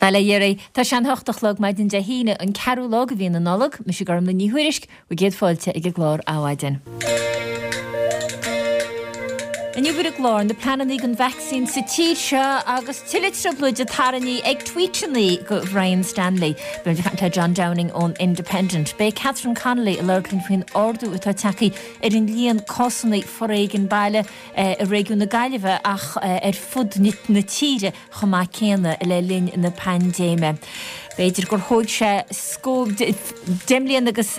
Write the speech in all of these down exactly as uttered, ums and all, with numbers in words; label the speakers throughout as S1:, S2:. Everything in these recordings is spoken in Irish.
S1: Bail ó Dhia oraibh, tá sé an hocht a chlog maidin Dé hAoine, an ceathrú lá de mhí na Nollag, mise Gormlaith Ní Thuairisg, bhur gcéad fáilte ag an gclár Adhmhaidin. Inniu ar an gclár, na pleananna don vacsaín sa tír seo agus tuilleadh trioblóide tarraingthe ag tweeteanna go Brian Stanley. Beidh muid ag caint le John Downing ón Independent. Beidh Catherine Connolly ag labhairt linn faoin ardú atá tagtha ar an líon cásanna foréigin baile i réigiún na Gaillimhe ach ar fud na tíre chomh maith céanna le linn na paindéime. B'fhéidir gur thóg sé deich mbliana agus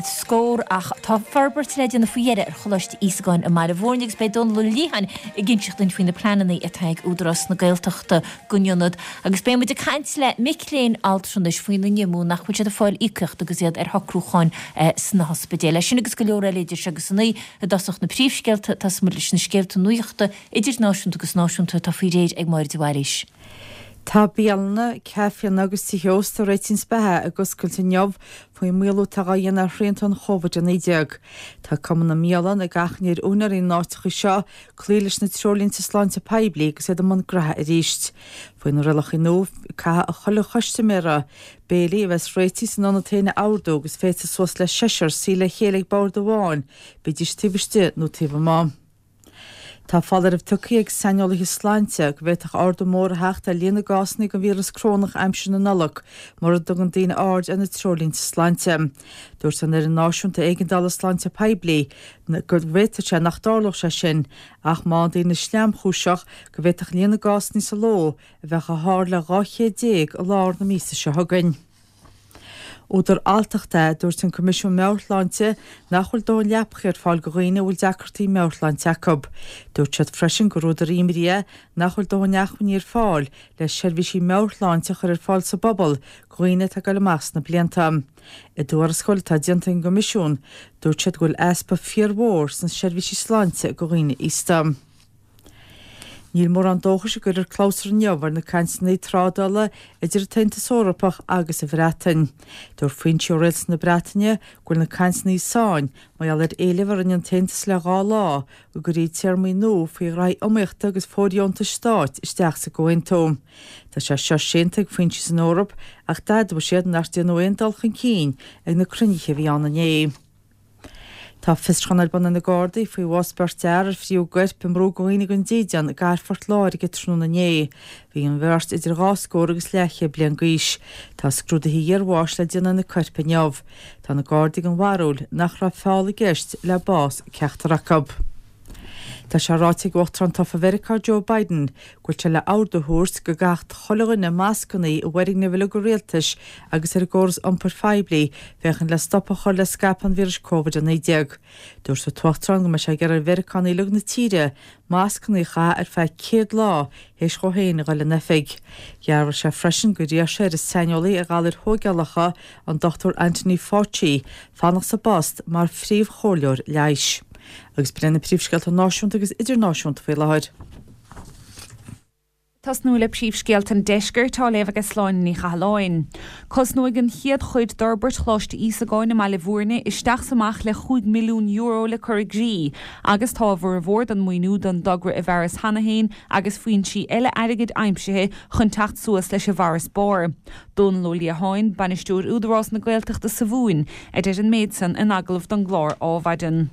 S1: scór ach tá forbairt le déanamh faoi dheireadh ar Choláiste Íosagáin i mBaile Bhúirne agus beidh Dónal Ó Liatháin ag inseacht dúinn faoi na pleananna atá ag Údarás na Gaeltachta don ionad agus beidh muid ag caint le mic léinn altranais faoina n-imní nach bhfuil siad ag fáil íocaíocht agus iad ar shocrúcháin sna hospidéil. Leis sin agus go leor eile idir seo agus a naoi i dtosach na príomhscéalta, tosóidh muid leis na scéalta nuachta idirnáisiúnta agus náisiúnta atá faoi réir ag Máire de Bhailís.
S2: Tá bialanna, caiféanna agus tithe ósta Réitín Beatha ag oscailt inniu faoin maolú atá á dhéanamh ar shrianta an Chóvid a naoi déag. Tá Cumann na mBialann ag achainí ar úinéirí na n-áiteacha seo cloí leis na treoirlínte sláinte poiblí agus iad i mbun graithe arís. Faoi na rialacha nua, caithfidh chuile chustaiméara béilí a bheas réitithe san ionad féin a ordú agus féadfaidh suas le seisear suí le chéile ag bord amháin, bídís taobh istigh nó taobh amuigh. Tá foláireamh tugtha ag saineolaithe sláinte go bhféadfadh ardú mór a theacht ar líon na gcásanna den víreas corónach aimsir na Nollag mura dtugann daoine aird ar na treoirlínte sláinte. Dúirt an Fhoireann Náisiúnta Éigeandála Sláinte Poiblí go bhféadfadh sé nach dtarlódh sé sin ach má bhíonn daoine sleamchúiseach go bhféadfadh líon na gcásanna sa ló a bheith chomh hard le dhá chéad déag i lár na míosa seo chugainn. Údar alltachta é, a dúirt an Coimisiún Meabhair-Shláinte, nach bhfuil dóthain leapacha ar fáil do dhaoine a bhfuil deacrachtaí meabhairshláinte acu. Dúirt siad freisin gur údar imní é nach bhfuil dóthain acmhainní ar fáil le seirbhísí meabhairshláinte a chur ar fáil sa bpobal do dhaoine atá ag dul amach sna blianta. I dtuarascáil atá déanta ag an gCoimisiún, dúirt siad go bhfuil easpa fíormhór sna seirbhísí sláinte do dhaoine aosta. Níl mórán dóchais a gcuirfear clabhsúr inniu ar na cainteanna trádála idir an tAontas Eorpach agus an Bhreatain. Dúirt foinsí ó rialtas na Breataine go bhfuil na cainteanna i sáinn mar gheall ar éileamh a rinne an tAontas le dhá lá go gcuirfí téarmaí nua faoi ghraithí iomaíochta agus fóirdheontais stáit isteach sa gcomhaontú. Tá sé seo séanta ag foinsí san Eoraip ach d'admhaigh siad nach ndearnadh aon dul chun cinn ag na cruinnithe a bhí ann inné. Tá fiosrúchán ar bun ag na Gardaí faoi bhás beirt fhear ar fríothadh a gcoirp i mbrú do dhaoine gan dídean i gcathair Phort Láirge tráthnóna inné. Bhí an bheirt idir dhá scór agus leathchéad bliain d'aois. Tá scrúduithe iarbháis le déanamh ar na coirp inniu. Tá na Gardaí den bharúil nach raibh feall i gceist le bás ceachtar acu. Tá sé ráite ag Uachtarán tofa Mheiriceá Joe Biden go bhfuil sé le ordú a thabhairt go gcaithfeadh chuile dhuine mascanna i bhfoirgnimh uilig an rialtais agus ar an gcóras iompair phoiblí féachaint le stop a chur le scaipeadh an víris Covid a naoi déag. Dúirt an tUachtarán go mbeidh sé ag iarraidh ar Mheiriceánaigh uilig na tíre mascanna a chaitheamh ar feadh céad lá théis dhó féin a dhul in oifig. Dhearbhaigh sé freisin gur iarr sé ar an saineolaí ar ghalair thógálacha, an Dochtúir Anthony Fauci, fanacht sa bpost mar phríomhchomhairleoir leighis. Agus b'in na príomhscéalta náisiúnta agus idirnáisiúnta faoi láthair.
S3: Tosnú le príomhscéalta an deiscirt á léamh ag Sláine Ní Chathalláin. Cosnóidh an chéad chuid d'fhorbairt Choláiste Íosagáin i mBaile Bhúirne isteach is amach le chúig milliún euro le cur i gcrích agus tá a bhformhór den mhaoiniú don dtogra i bhfearas cheana féin agus foinsí eile airgid aimsithe chun teacht suas leis an bhfarasbarr. Dónal Ó Liatháin, Bainisteoir Údarás na Gaeltachta sa Mhumhain, a deir an méid san in agallamh don gclár Adhmhaidin.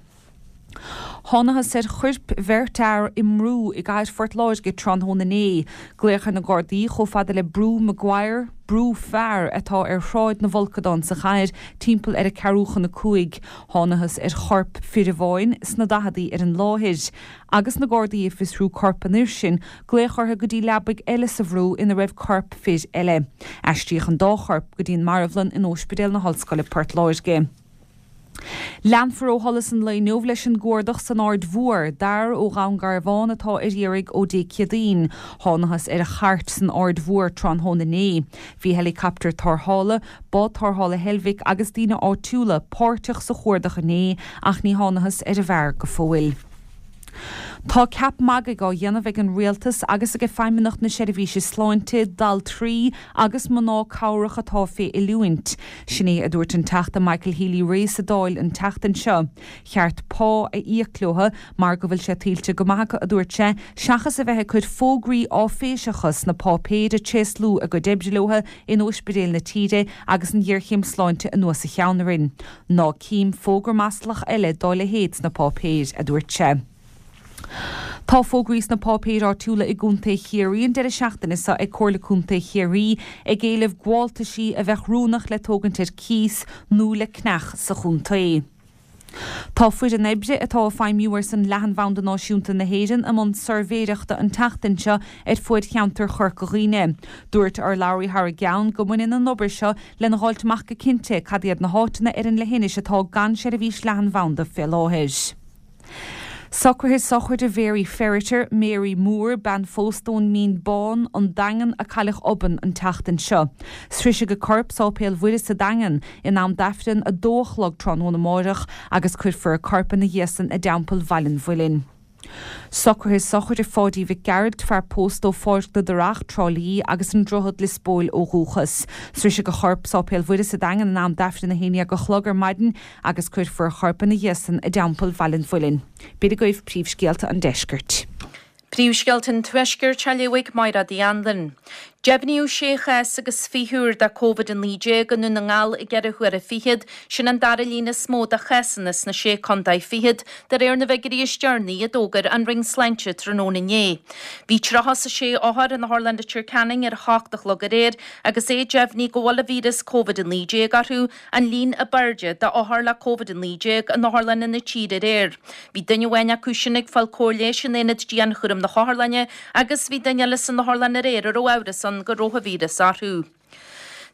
S3: Thánathas ar choirp bheirt fhear i mbrú i gcathair Phort Láirge tráthnóna inné. Glaodh ar na Gardaí chomh fada le Brú Maguire, brú fear atá ar Shráid na bhFolcadán sa chathair, timpeall ar a ceathrú chun a cúig. Thánathas ar chorp fir amháin sna daicheadaí ar an láthair. Agus na Gardaí ag fiosrú corp an fhir sin, glaodh orthu go dtí leabaidh eile sa bhrú ina raibh corp fir eile. Aistríodh an dá chorp go dtí an marbhlann in Óispidéal na hOllscoile Port Láirge. Leanfar ó sholas an lae inniu leis an gcuardach san Aird Mhór d'fhear ó Dhún Garbhán atá ar iarraidh ó Dé Céadaoin. Thánathas ar a chairt san Aird Mhór tráthnóna inné. Bhí heileacaptar tarrthála, bád tarrthála Heilbhic agus daoine áitiúla páirteach sa chuardach inné ach ní thánathas ar an bhfear go fóill. Tá ceap magaidh á dhéanamh ag an rialtas agus ag Feidhmeannacht na Seirbhíse Sláinte d'altraí agus mná cabhrach atá fé oiliúint. Sin é a dúirt an Teachta Michael Healy-Rae sa Dáil an tseachtain seo. Cheart pá a íoc leo mar go bhfuil sé tuillte go maith acu, a dúirt sé, seachas a bheith ag cur fógraí áiféiseacha sna páipéir ag tréaslú a gcuid oibre leo in ospidéil na tíre agus an ghéarchéim sláinte anuas a cheann orainn. Ná cím fógra maslach eile dá leithéid sna páipéir, a dúirt sé. Tá fógraí sna páipéir áitiúla i gContae Chiarraí an deireadh seachtaine seo ag Comhairle Contae Chiarraí ag éileamh gabháltaisí a bheadh oiriúnach le tógaint ar cíos nó le ceannach sa chontae. Tá foireann oibre atá ag feidhmiú ar son leathanbhanda náisiúnta na hÉireann i mbun suirbhéireachta an tseachtain seo ar fuaid cheantar Chorca Dhuibhne. Dúirt urlabhraí thar a gceann go mbaineann an obair seo lena dh'fháilt amach go cinnte cad iad na háiteanna ar an leithinis atá gan seirbhís leathanbhanda fé láthair. Socruithe sochraide Mhary Ferriter, Mary Moore, bean phósta ón Mín Bán, an Daingean a cailleadh obann an tseachtain seo. Sroisfidh a corp Sáipéal Mhuire sa Daingean in am d'Aifreann a dó a chlog tráthnóna amárach agus cuirfear a corp ina dhiaidh san i dTeampall Bhaile an Mhuilinn. Socruithe sochraide Pháidí Mhic Gearailt, fear pósta ó Pháirc na dTurach, Trá Lí agus an Droichead Lios Póil ó dhúchas. Sroisfidh a chorp Sáipéal Mhuire sa Daingean in am d'Aifreann a haon déag a chlog ar maidin agus cuirfear a chorp ina dhiaidh san i dTeampall Bhaile an Mhuilinn. B'in agaibh príomhscéalta an deiscirt.
S4: Príomhscéalta an Tuaiscirt á léamh ag Máire Uí Anluain. Deimhníodh sé chás agus fiche úr de Covid a naoi déag i nDún na nGall i gceithre huaire fichead, sin an dara líon is mó de chásanna sna sé contae fichead, de réir na bhfigiúirí is deireanaí a d'fhógair an Roinn Sláinte tráthnóna inné. Bhí tríocha is a sé othar in Otharlann Leitir Ceanainn ar a hocht a chlog aréir agus é deimhnithe go bhfuil an víreas Covid a naoi déag orthu, an líon ab airde d'othair le Covid a naoi déag in otharlanna na tíre aréir. Bhí duine amháin acu sin ag fáil cóir leighis in aonad dianchúraim na hotharlainne agus bhí duine eile san otharlann aréir a raibh amhras ann go raibh an víreas orthu.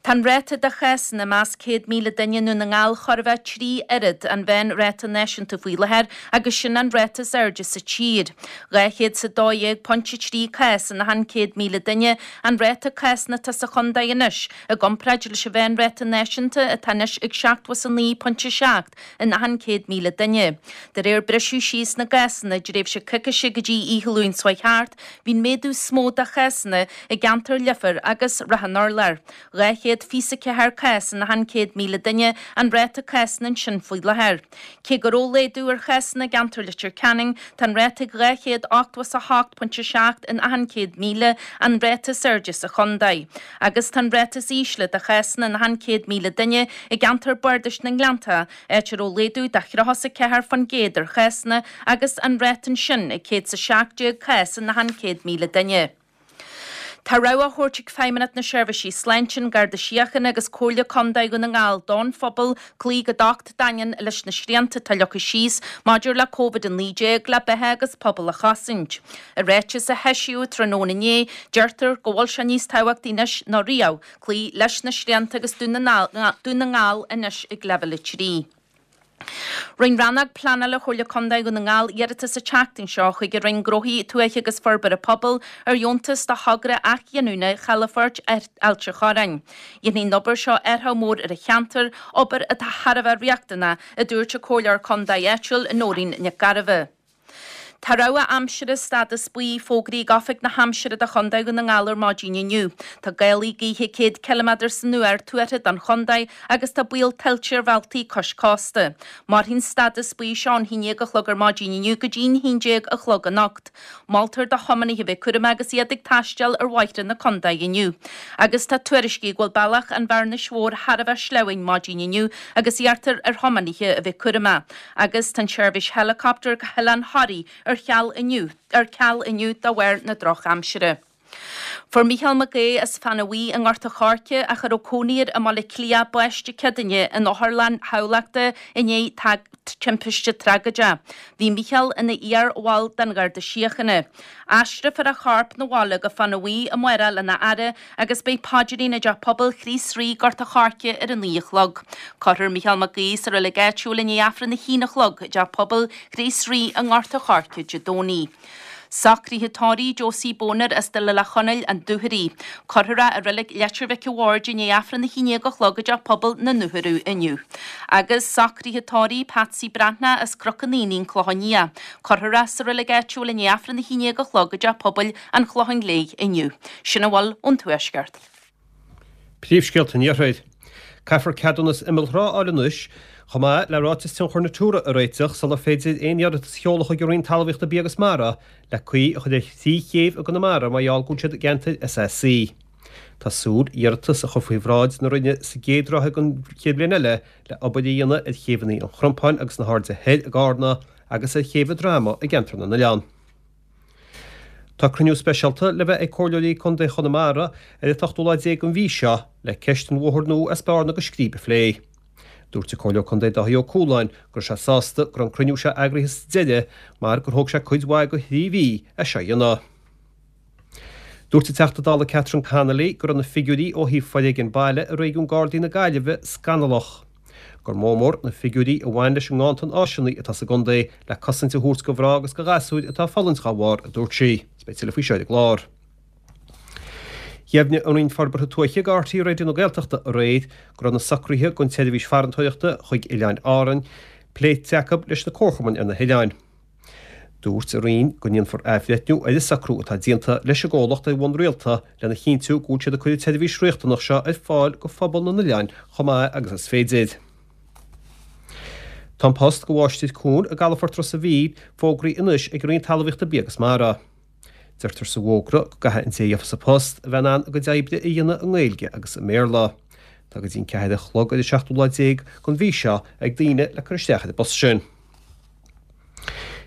S4: Tá an ráta de chásanna i measc céad míle duine i nDún na nGall chóir a bheith trí oiread an mheánráta náisiúnta faoi láthair agus sin an ráta is airde sa tír. Dhá chéad is a dó dhéag pointe trí cás in achan céad míle duine an ráta cásanna atá sa chontae anois i gcomparáid leis an mheánráta náisiúnta atá anois ag seachtó is a naoi pointe seacht in achan céad míle duine. De réir briseadh síos na gcásanna i dtréimhse coicíse go dtí oíche Luain seo thart, bhí an méadú is mó de chásanna i gceantar Leifear agus Ráth an Urláir. Dhá chéad fiche is a ceathair cás in achan céad míle duine an ráta cásanna ansin faoi láthair. Cé go raibh laghdú ar chásanna i gceantar Leitir Ceanainn, tá an ráta ag dhá chéad ochtó is a hocht pointe seacht in achan céad míle, an ráta is airde sa chontae. Agus tá an ráta is ísle de chásanna in achan céad míle duine i gceantar Bardais na nGleannta, áit a raibh laghdú de thríocha is a ceathair faoin gcéad ar chásanna agus an ráta ansin ag céad is a seacht déag cás in achan céad míle duine. Tá rabhadh á thabhairt ag Feidhmeannacht na Seirbhísí Sláinte, an Garda Síochána agus Comhairle Contae Dhún na nGall don phobal cloí go docht daingean leis na srianta atá leagtha síos maidir le Covid a naoi déag le beatha agus pobal a chosaint. I ráiteas a heisíodh tráthnóna inné, deirtear go bhfuil sé níos tábhachtaí anois ná riamh cloí leis na srianta agus Dún na nGall anois ag leibhéal a trí. Rinne Rannóg Pleanála Chomhairle Contae Dhún na nGall iarratas an tseachtain seo chuig an Roinn Gnóthaí Tuaithe agus Forbartha Pobail ar dheontas do thogra athghiniúna Chalafort Ailt an Chorráin. Dhéanfaidh an obair seo athrú mór ar an cheantar, obair atá thar a bheith riachtanach, a dúirt an Comhairleoir Contae áitiúil Nóirín Nic Gairbheith. Tá rabhadh aimsire stádas buí fógraithe ag Oifig na hAimsire do Chontae Dhún na nGall ar maidin inniu. Tá gálaí gaoithe céad ciliméadar san uair tuartha don chontae agus tá baol tuilte ar bhealtaí cois cósta. Mairfidh an stádas buí seo ón haon déag a chlog ar maidin inniu go dtí'n haon déag a chlog anocht. Moltar do thiománaithe bheith cúramach agus iad ag taisteal ar bhóithre na contae inniu. Agus tá tuairiscí go bhfuil bealach an Bhearnais Mhóir thar a bheith sleamhain maidin inniu agus iarrtar ar thiománaithe a bheith cúramach. Agus tá an tseirbhís helicopter go hOileán Thoraí ar ceal inniu ar ceal inniu de bharr na drochaimsire. Fuair Mícheál Mac Aodha as Fána Bhuí i nGort an Choirce ach a raibh cónaí air i mBaile Átha Cliath bás Dé Céadaoine in otharlann Thamhlachta i ndiaidh timpiste tragóideach. Bhí Mícheál ina iar-bhall den Gharda Síochána. Aistreofar a chorp 'na bhaile go Fána Bhuí amárach lena fhaire agus beidh paidrín i dTeach Pobail Chríost Rí, Gort an Choirce ar a naoi a chlog. Cuirfear Mícheál Mac Aodha sa reilig áitiúil i ndiaidh Aifreann a haon a chlog i dTeach Pobail Chríost Rí i nGort an Choirce Dé Domhnaigh. Socruithe tórraimh Josie Boner as Doire Chonaill, An Dúchoraidh. Cuirfear é i reilig Leitir Mhic a' Bhaird i ndiaidh Aifreann a haon déag a chlog i dteach pobail na nDúchoradh inniu. Agus socruithe tórraimh Patsy Breathnach as Cnoc an Aonaigh, An Clochán Liath. Cuirfear é sa reilig áitiúil i ndiaidh Aifreann a haon déag a chlog i dteach pobail an Chlocháin Léith inniu. Sin a bhfuil ón Tuaisceart.
S5: Príomhscéalta an Iarthair. Caithfear ceadúnas imealltrá a fháil anois, chomh maith le ráiteas tionchair Natura a réiteach sular féidir aon iarratas a sheoladh chuig an Roinn Talmhaíochta, Bia agus Mara le caoi a chur ar thrí chéibh i gConamara mar gheall go bhfuil siad i gceantair SAC. Tá súil iarratas a chur faoi bhráid na Roinne sa gcéad ráithe den chéad bhliain eile le obair a dhéanamh ar chéibheanna an Chrompáin agus na hAirde Thoir i gCarna agus ar chéibh an Droma i gceantar na nOileán. Tá cruinniú speisialta le bheith ag Comhairleoirí Contae Chonamara ar an t-ochtú lá déag den mhí seo le ceist an bhóthair nua as Bearna go Scríb a phlé. Dúirt an Comhairleoir Contae Dáithí Ó Cualáin go raibh sé sásta go raibh an cruinniú seo eagraithe sa deireadh mar gur thóg sé cuid mhaith de thrí mhí é seo a dhéanamh. Dúirt an Teachta Dála Catherine Connolly go raibh na figiúirí ó thaobh foréigean baile i réigiún Gardaí na Gaillimhe scannalach. Gur mó mór na figiúirí a bhain leis an nganntan áiseanna atá sa gcontae le cosaint a thabhairt do mhná agus do ghasúir atá ag fulaingt dá bharr, a dúirt sí. Is beidh tuilleadh faoi seo ar an gclár. Dheimhnigh an Roinn Forbartha Tuaithe do R T É Raidió na Gaeltachta aréir go raibh na socruithe don tseirbhís farantóireachta chuig Oileáin Árann pléite acu leis na comharchumainn ar na hoileáin. Dúirt an Roinn go ndéanfar athbhreithniú ar an socrú atá déanta leis an gcomhlacht ar bhonn rialta lena chinntiú go bhfuil siad ag cur an tseirbhís riachtanach seo ar fáil do phobal na n-oileán chomh maith agus is féidir. Tá an post do mháistir cuain i gcalafort Ros an Mhíl fógraithe anois ag an Roinn Talmhaíochta, Bia agus Mara. Deirtear sa bhfógra go gcaithfidh an té a gheofas an post a bheith in ann a gcuid oibre a dhéanamh i nGaeilge agus i mBéarla. Tá go dtí an ceathair a chlog ar an seachtú lá déag den mhí seo ag daoine le cur isteach ar an bpost sin.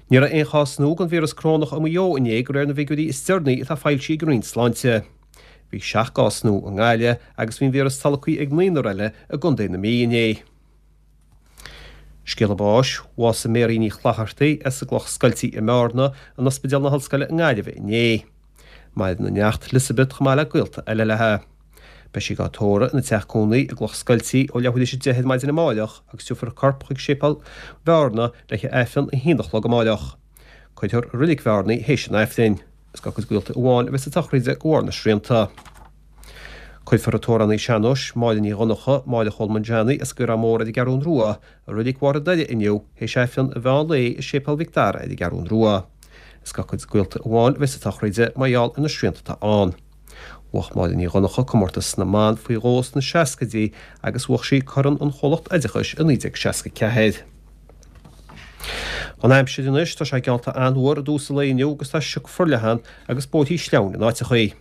S5: Ní raibh aon chás nua den víreas corónach i Maigh Eo inné de réir na bhfigiúirí is deireanaí atá foilsithe ag an Roinn Sláinte. Bhí seacht gcás nua i nGaillimh agus bhí an víreas tolgtha ag naonúr eile i gContae na Mí inné. Scéala báis, bhásaigh Mary Ní Chlochartaigh as an gCloch Scoiltí i mBearna in Ospidéal na hOllscoile i nGaillimh inné. Maireann a neacht Elizabeth chomh maith le gaolta eile léi. Beidh sí á tórramh ina teach cónaí i gCloch Scoiltí ó leathuair tar éis a deich ar maidin amáireach agus tabharfar a corp chuig Séipéal Bhearna le haghaidh Aifreann a haon a chlog amáireach. Cuirfear i Reilig Bhearna í théis an Aifrinn. Is dá cuid gaolta amháin a bheas sa tsochraid de bharr na srianta. Cuirfear an t-amhránaí sean-nóis Máire Ní Dhonncha, Máire Cholmáin Johnny as an gCaorán Mór ar an gCeathrún Rua, i Reilig Bharr an Doire inniu théis Aifreann an mheán lae i Séipéal Mhic Dara ar an gCeathrún Rua. Is dá cuid gaolta amháin a bheas sa tsochraid mar gheall ar na srianta atá ann. Bhuaigh Máire Ní Dhonncha comórtas na mban faoi dhó sna seascaidí agus bhuaigh sí Corn an Chomhlacht Oideachais i naoi déag seasca ceathair. An aimsir anois, tá sé geallta an-fhuar i dtús an lae inniu agus tá sioc forleathan agus bóithrí sleamhain in áiteachaí.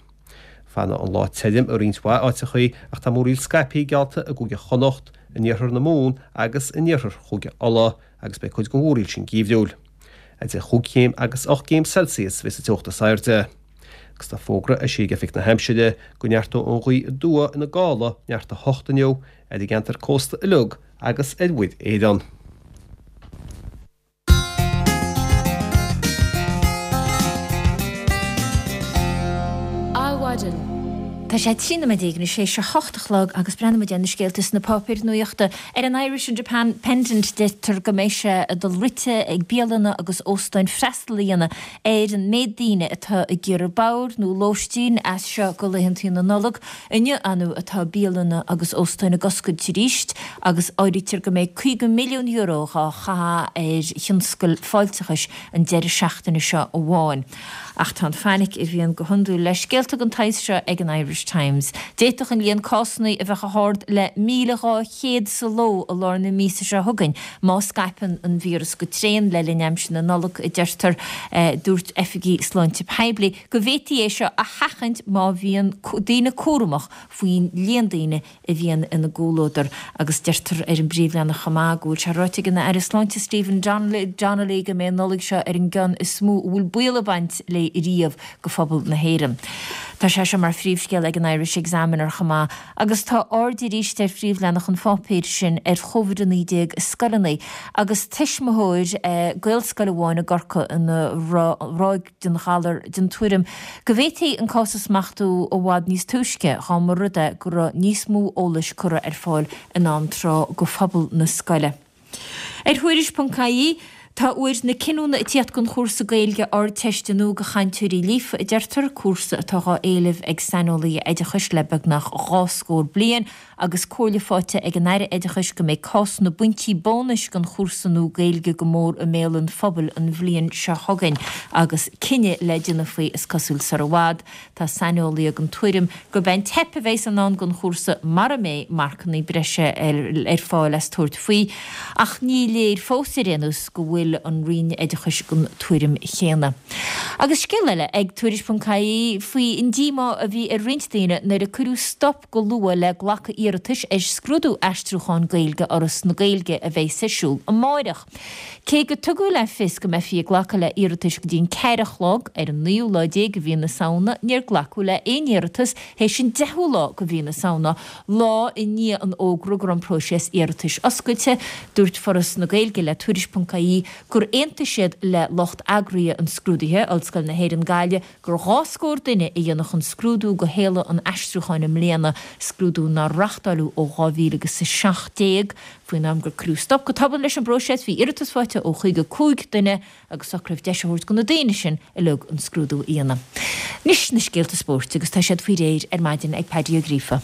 S5: Fanfaidh an lá tirim i roinnt mhaith áiteachaí ach tá múraíl scaipthe geallta i gCúige Chonnacht, in iarthar na Mumhan agus in iarthar Chúige Uladh agus beidh cuid den mhúraíl sin geimhriúil. Idir chúig chéim agus ocht gcéim Celsius a bheas an teocht is airde. Agus tá fógra eisithe ag Oifig na hAimsire go neartóidh an ghaoth aduaidh ina gála neart a hocht inniu ar an gceantar cósta uilig agus ar Mhuir Éireann.
S1: Adhmhaidin. Tá sé trí nóiméad déag anois théis a hocht a chlog agus breathnóidh muid ar na scéalta sna páipéir nuachta. Ar an Irish Independent deirtear go mbeidh sé ag dul rite ag bialanna agus óstáin freastal a dhéanamh ar an méid daoine atá ag iarraidh bord nó lóistín as seo go laethantaí na Nollag. Inniu anu atá bialanna agus óstáin ag oscailt arís agus áirítear go mbeidh caoga milliún euro dhá chaitheamh ar thionscal fáilteachais an deireadh seachtaine seo amháin. Ach tá an fainic a bhíonn go hiondúil le scéalta den tsaghas seo ag an Irish Times. D'fhéadfadh an líon cásanna a bheith chomh hard le míle dhá chéad sa ló i lár na míosa seo chugainn má scaipeann an víreas go tréan le linn aimsir na Nollag, a deirtear. Dúirt oifigigh sláinte poiblí go bhféadfaí é seo a sheachaint má bhíonn daoine cúramach faoin líon daoine a bhíonn ina gcomhluadar. Agus deirtear ar an bpríomhleathanach chomh maith go bhfuil sé ráite ag an Aire Sláinte Stephen Donnelly go mbeidh an Nollaig seo ar an gceann is mó a bhfuil baol ag baint léi riamh go phobal na hÉireann. Tá sé seo mar phríomhscéal ag an Irish Examiner chomh maith agus tá aird arís ar phríomhleathanach an pháipéir sin ar Chóivid a naoi déag i scoileanna agus tuismitheoir Gaelscoil amháin i gCorcaigh ina ráig den ghalar den tuairim go bhféadfaí an cás a smachtú i bhfad níos túisce dá mba rud é go raibh níos mó eolais curtha ar fáil in am tráth go phobal na scoile. Ar Thuairisc ponc ie, Tá uair na cinniúna ag tíocht don chúrsa Gaeilge Ardteiste nua do chainteoirí líofa, a deirtear, cúrsa atá á éileamh ag saineolaithe oideachais le beagnach dhá scór bliain agus comhairle faighte ag an Aire Oideachais go mbeidh cás na bpointí bónais don chúrsa nua Gaeilge go mór i mbéal an phobail an bhliain seo chugainn agus cinneadh le déanamh faoi is cosúil sar i bhfad. Tá saineolaithe den tuairim gurb é an teip a bheas i ndán don chúrsa mara mbeidh marcanna breise ar fáil as tabhairt faoi ach ní léir fós ar aon nós go bhfuil bhfuil an Roinn Oideachais den tuairim chéanna. Agus scéal eile ag Tuairisc ponc ie faoi an díomá a bhí ar roinnt daoine nuair a cuireadh stop go luath le glacadh iarratais ar scrúdú aistriúcháin Gaeilge Fhoras na Gaeilge a bheas ar siúl amáireach. Cé go tugadh le fios go mbeifí ag glacadh le hiarratais go dtí an ceathair a chlog ar an naoú lá déag de mhí na Samhna, níor glacadh le haon iarratas théis an deichiú lá de mhí na Samhna, lá i ndiaidh an fhógra go raibh an próiseas iarratais oscailte. Dúirt Foras na Gaeilge le Tuairisc ponc ie gur aontaigh siad le lucht eagraithe an scrúdaithe, Ollscoil na hÉireann Gaillimh, gur dhá scór duine a dhéanfadh an scrúdú go Shéala an Aistriúcháin i mbliana, scrúdú nár reáchtáileadh ó dhá mhíle agus a seacht déag. Faoin am gur cuireadh stop go tobann leis an bpróiseas, bhí iarratas faighte ó chaoga cúig duine agus socraíodh deis a thabhairt do na daoine sin uilig an scrúdú a dhéanamh. Anois na scéalta spóirt agus tá siad faoi réir ar maidin ag Paddy Ó Gríofa.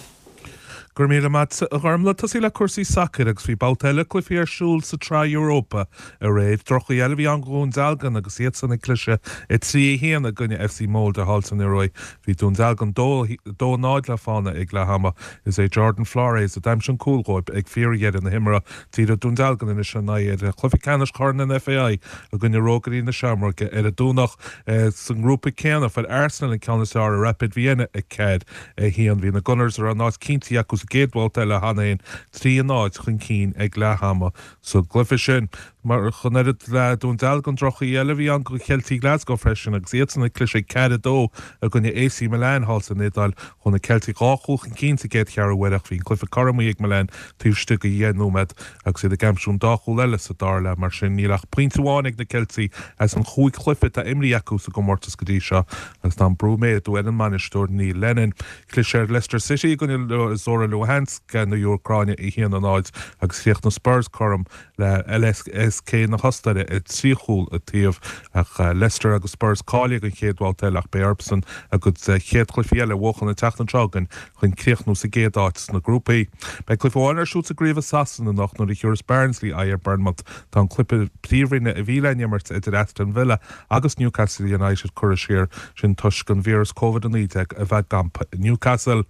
S6: Go raibh míle maith agat a Ghormlaith. Tosaí le cúrsaí sacair agus bhí babhta eile cluichí ar siúl sa tSraith Europa aréir. Droch-chaoi eile a bhí ann do Dhún Dealgan agus iadsan ag cliseadh a trí a haon i gcoinne F C Molde thall san Ioruaidh. Bhí Dún Dealgan dó dó náid le fána ag leath ama. Is é Jordan Flores a d'aimsigh an cúl dhóibh ag fíordheireadh na himeartha. Díreoidh Dún Dealgan anois a n-aghaidh ar chluiche ceannais Chorn an F A I i gcoinne Rógairí na Seamróige ar an Domhnach. Sa ngrúpa céanna fuair Arsenal an ceann is fearr ar Rapid Vienna a ceathair a haon. Bhí na Gunners a raibh an áit cinntithe acu sa gcéad bhabhta eile cheana féin trí a náid chun cinn ag leath ama sa gcluiche sin. Mar chun oiread le Dún Dealgan droch-chaoi eile a bhí ann do Cheiltigh Glasgow freisin agus iadsan ag cliseadh ceathair a dó i gcoinne A C Milan thall san Iodáil. Chuaigh na Ceiltigh dhá chúl chun cinn sa gcéad cheathrú uaire ach bhí an cluiche cothromaithe ag Milan taobh istigh de dheich nóiméad agus iad ag aimsiú an dá chúl eile sa dara leath. Mar sin níl ach pointe amháin ag na Ceiltigh as an chúig chluiche atá imrithe acu sa gcomórtas go dtí seo agus tá an brú ag méadú ar an mbainisteoir Neil Lennon. Chlis ar Leicester City i gcoinne Zora Luhansk na hÚcráine a haon a náid agus chríochnaigh Spurs cothrom le L S K na hOstaire i trí chúl an taobh ach Leicester agus Spurs cáilithe don chéad bhabhta eile ach beidh orthusan a gcuid chéad chluichí eile a bhuachan an tseachtain seo chugainn chun críochnú sa gcéad áit sna grúpaí. Beidh cluiche amháin ar siúl sa gcraobh i Sasana anocht nuair a thiúrfas Barnsley aghaidh ar Bournemouth. Tá an cluiche príomhroinne a bhí le n-imirt idir Aston Villa agus Newcastle United curtha siar sin toisc an víreas Covid a naoi déag a bheith ag campadh i Newcastle.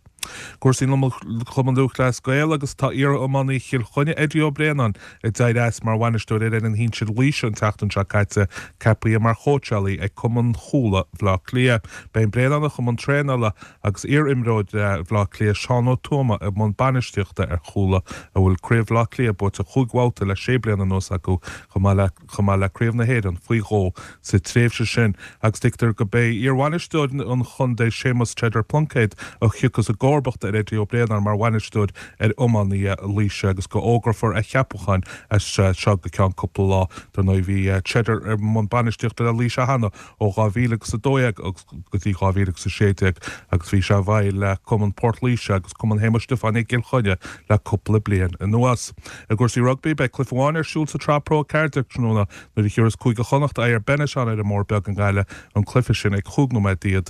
S6: Cúrsaí Chumann Lúthchleas Gael agus tá iar-iománaí Chill Chainnigh Eddie Ó Braonáin a d'éirigh as mar bhainisteoir ar fhoireann shinsir Laoise an tseachtain seo caite ceaptha mar chóitseálaí ag Cumann Chuala Bhaile Átha Cliath. Beidh an Braonánach i mbun traenála agus iar-imreoir Bhaile Átha Cliath Seán Ó Tuama i mbun bainistíochta ar Chuala a bhfuil Craobh Bhaile Átha Cliath buaite chúig bhabhta le sé bliana anuas acu chomh maith le chomh maith le Craobh na hÉireann faoi dhó sa tréimhse sin agus tuigtear go mbeidh iar-bhainisteoir an chontae Séamus Cheddar Pluincéad a thiocfas i gcomharbacht ar Eddie Ó Braonáin mar bhainisteoir ar iománaithe Laoise agus go bhfógrófar a cheapachán as seo go ceann cúpla lá dar ndóigh bhí Cheddar ar mbun bainistíochta le Laoise cheana ó dhá mhíle agus a dó dhéag agus go dtí dhá mhíle agus a sé déag agus bhí sé i bhfeighil le Cumann Port Laoise agus Cumann Shéamuis Stiofáin i gCill Chainnigh le cúpla bliain anuas. I gcúrsaí rugbaí beidh cluiche amháin ar siúl sa tSraith Pro ceathair déag tráthnóna nuair a thiúrfas Cúige Chonnacht aghaidh ar Benetton ar an mBóthar Beag i nGaillimh an cluiche sin ag cúig nóiméad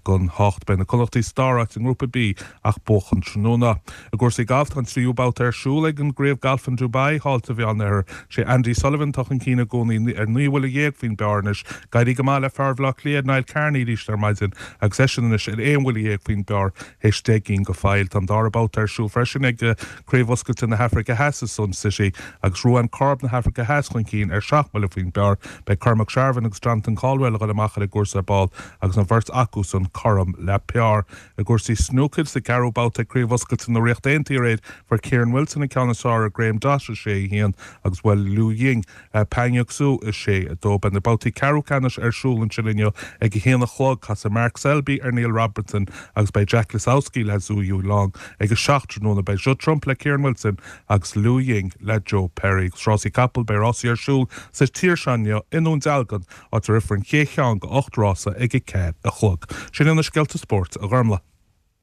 S6: don hocht beidh na Connachtaigh sa dara háit i ngrúpa B ach buachan tráthnóna. I gcúrsaí gailf tá an tríú babhta ar siúl ag an gCraobh Galf in Dubai thall sa Mheánoirthear sé Andy Sullivan atá chun cinn i gcónaí ar naoi bhuille dhéag faoin bpar anois D'éirigh go maith le fear Bhaile Átha Cliath Niall Carney arís ar maidin agus eisean anois ar aon bhuille dhéag faoin bpar théis deich gcinn go fóill. Tá an dara babhta ar siúl freisin ag Craobh Oscailte na hAfraice Theas i Sun City agus Ruan Corb na hAfraice Theas chun cinn ar seacht mbuille faoin bpar beidh Cormac Sharvin agus Jonathan Caldwell a dhul amach ar an gcúrsa ar ball agus an bheirt acu san cothrom le par. I gcúrsaí snúcair sa gceathrú babhta Craobh Oscailte na Ríochta Aontaithe fuair Kieran Wilson an ceann is fearr ar Graham Dott a sé haon agus bhuail Liu Ying Pang Xu a sé a dó beidh na babhtaí ceathrú ceannais ar siúl ansin inniu ag a haon a chlog casfaidh Mark Selby ar Neil Robertson agus beidh Jack Lisowski le Zhou Yuelong ag a seacht tráthnóna beidh Judd Trump le Kieran Wilson agus Liu Ying le Joe Perry. Rásaí capall beidh rásaí ar siúl sa tír seo inniu i nDún Dealgan á rifar an chéad cheann de ocht rása ag a ceathair a chlog. Sin na scéalta spóirt a Ghormlaith.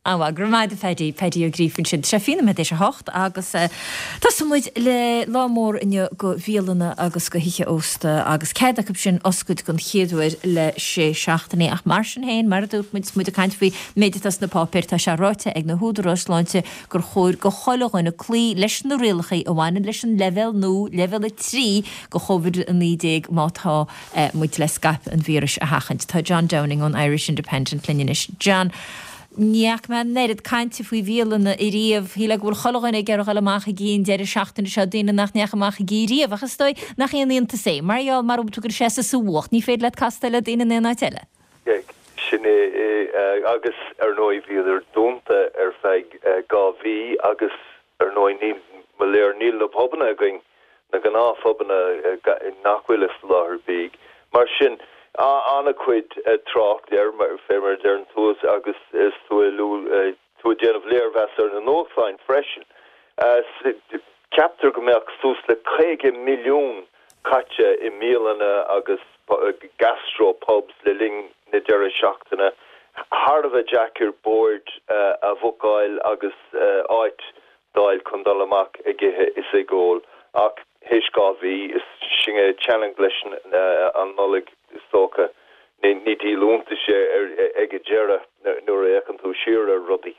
S1: An-mhaith, go raibh maith agat a Phaddy, Paddy Ó Gríofa ansin. Tá sé fiche nóiméad théis a hocht agus tosóidh muid le lá mór inniu go bhialanna agus go thithe ósta agus cead acu sin oscailt don chéad uair le sé seachtainí. Ach mar sin féin, mar a dúirt muid, muid ag caint faoi méid atá sna páipéir, tá sé ráite ag na húdaráis sláinte gur chóir go chuile dhuine cloí leis na rialacha a bhaineann leis an leibhéal nua, leibhéal a trí go Covid a naoi déag má tá muid le scaipeadh an víris a sheachaint. Tá John Downing ón Irish Independent linn anois. John, Ní fhaca mé an oiread cainte faoi bhialanna ariamh. Shílfeá go bhfuil chuile dhuine ag iarraidh dul amach ag ithe an deireadh seachtaine seo, daoine nach ndeachaigh amach ag ithe riamh, ach is dóigh nach aon iontas é, mar gheall mara bhfuil tú ag dul seasamh sa bhfuacht, ní féidir leat castáil le daoine in aon áit eile.
S7: Sin é, agus ar ndóigh bhíodar dúnta ar feadh dhá mhí agus ar ndóigh níl, mo léir, níl na pubanna againn, na gnáthphubanna nach bhfuil ag soláthar bídh. Mar sin, An-chuid trácht air, fé mar a deireann tú, agus is tú ag tú ag déanamh léirmheas ar na nuachtáin freisin. Ceaptar go mbeadh suas le caoga milliún caite i mbialanna agus gastro pubs le linn na deireadh seachtaine. Thar a bheith deacair boird a bhookáil agus áit d'fháil chun dul amach ag ithe is ag ól ach théis dhá mhí is sin é teannadh leis an Nollaig is dócha. Ní díol iontais é ag an deireadh nuair a fhéachann tú siar ar rudaí.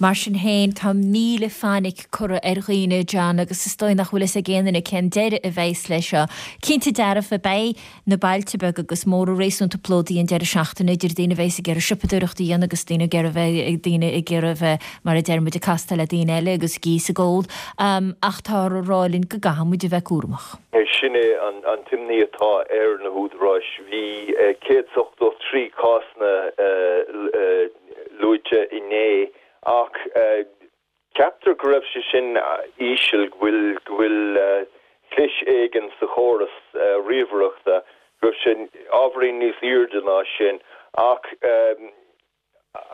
S1: Mar sin féin, tá míle fainic curtha ar dhaoine, John, agus is dóigh nach bhfuil fhios ag aon duine cén deireadh a bheas leis seo. Cinnte dearfa, beidh na bailte beaga agus móra réasúnta plódaithe an deireadh seachtaine idir daoine a bheas ag iarraidh siopadóireacht a dhéanamh agus daoine ag iarraidh bheith daoine ag iarraidh bheith mar a deir muid ag castáil le daoine eile agus ag ithe is ag ól. Ach táthar ag rá linn go gcaithfidh muid a bheith cúramach.
S7: Sin é an t-imní atá ar na húdaráis. Bhí céad is ochtó trí cásanna luaite inné ach ceaptar go raibh sé sin íseal, go bhfuil go bhfuil clis éigin sa chóras ríomhaireachta, go raibh sé ábhairín níos airde ná sin ach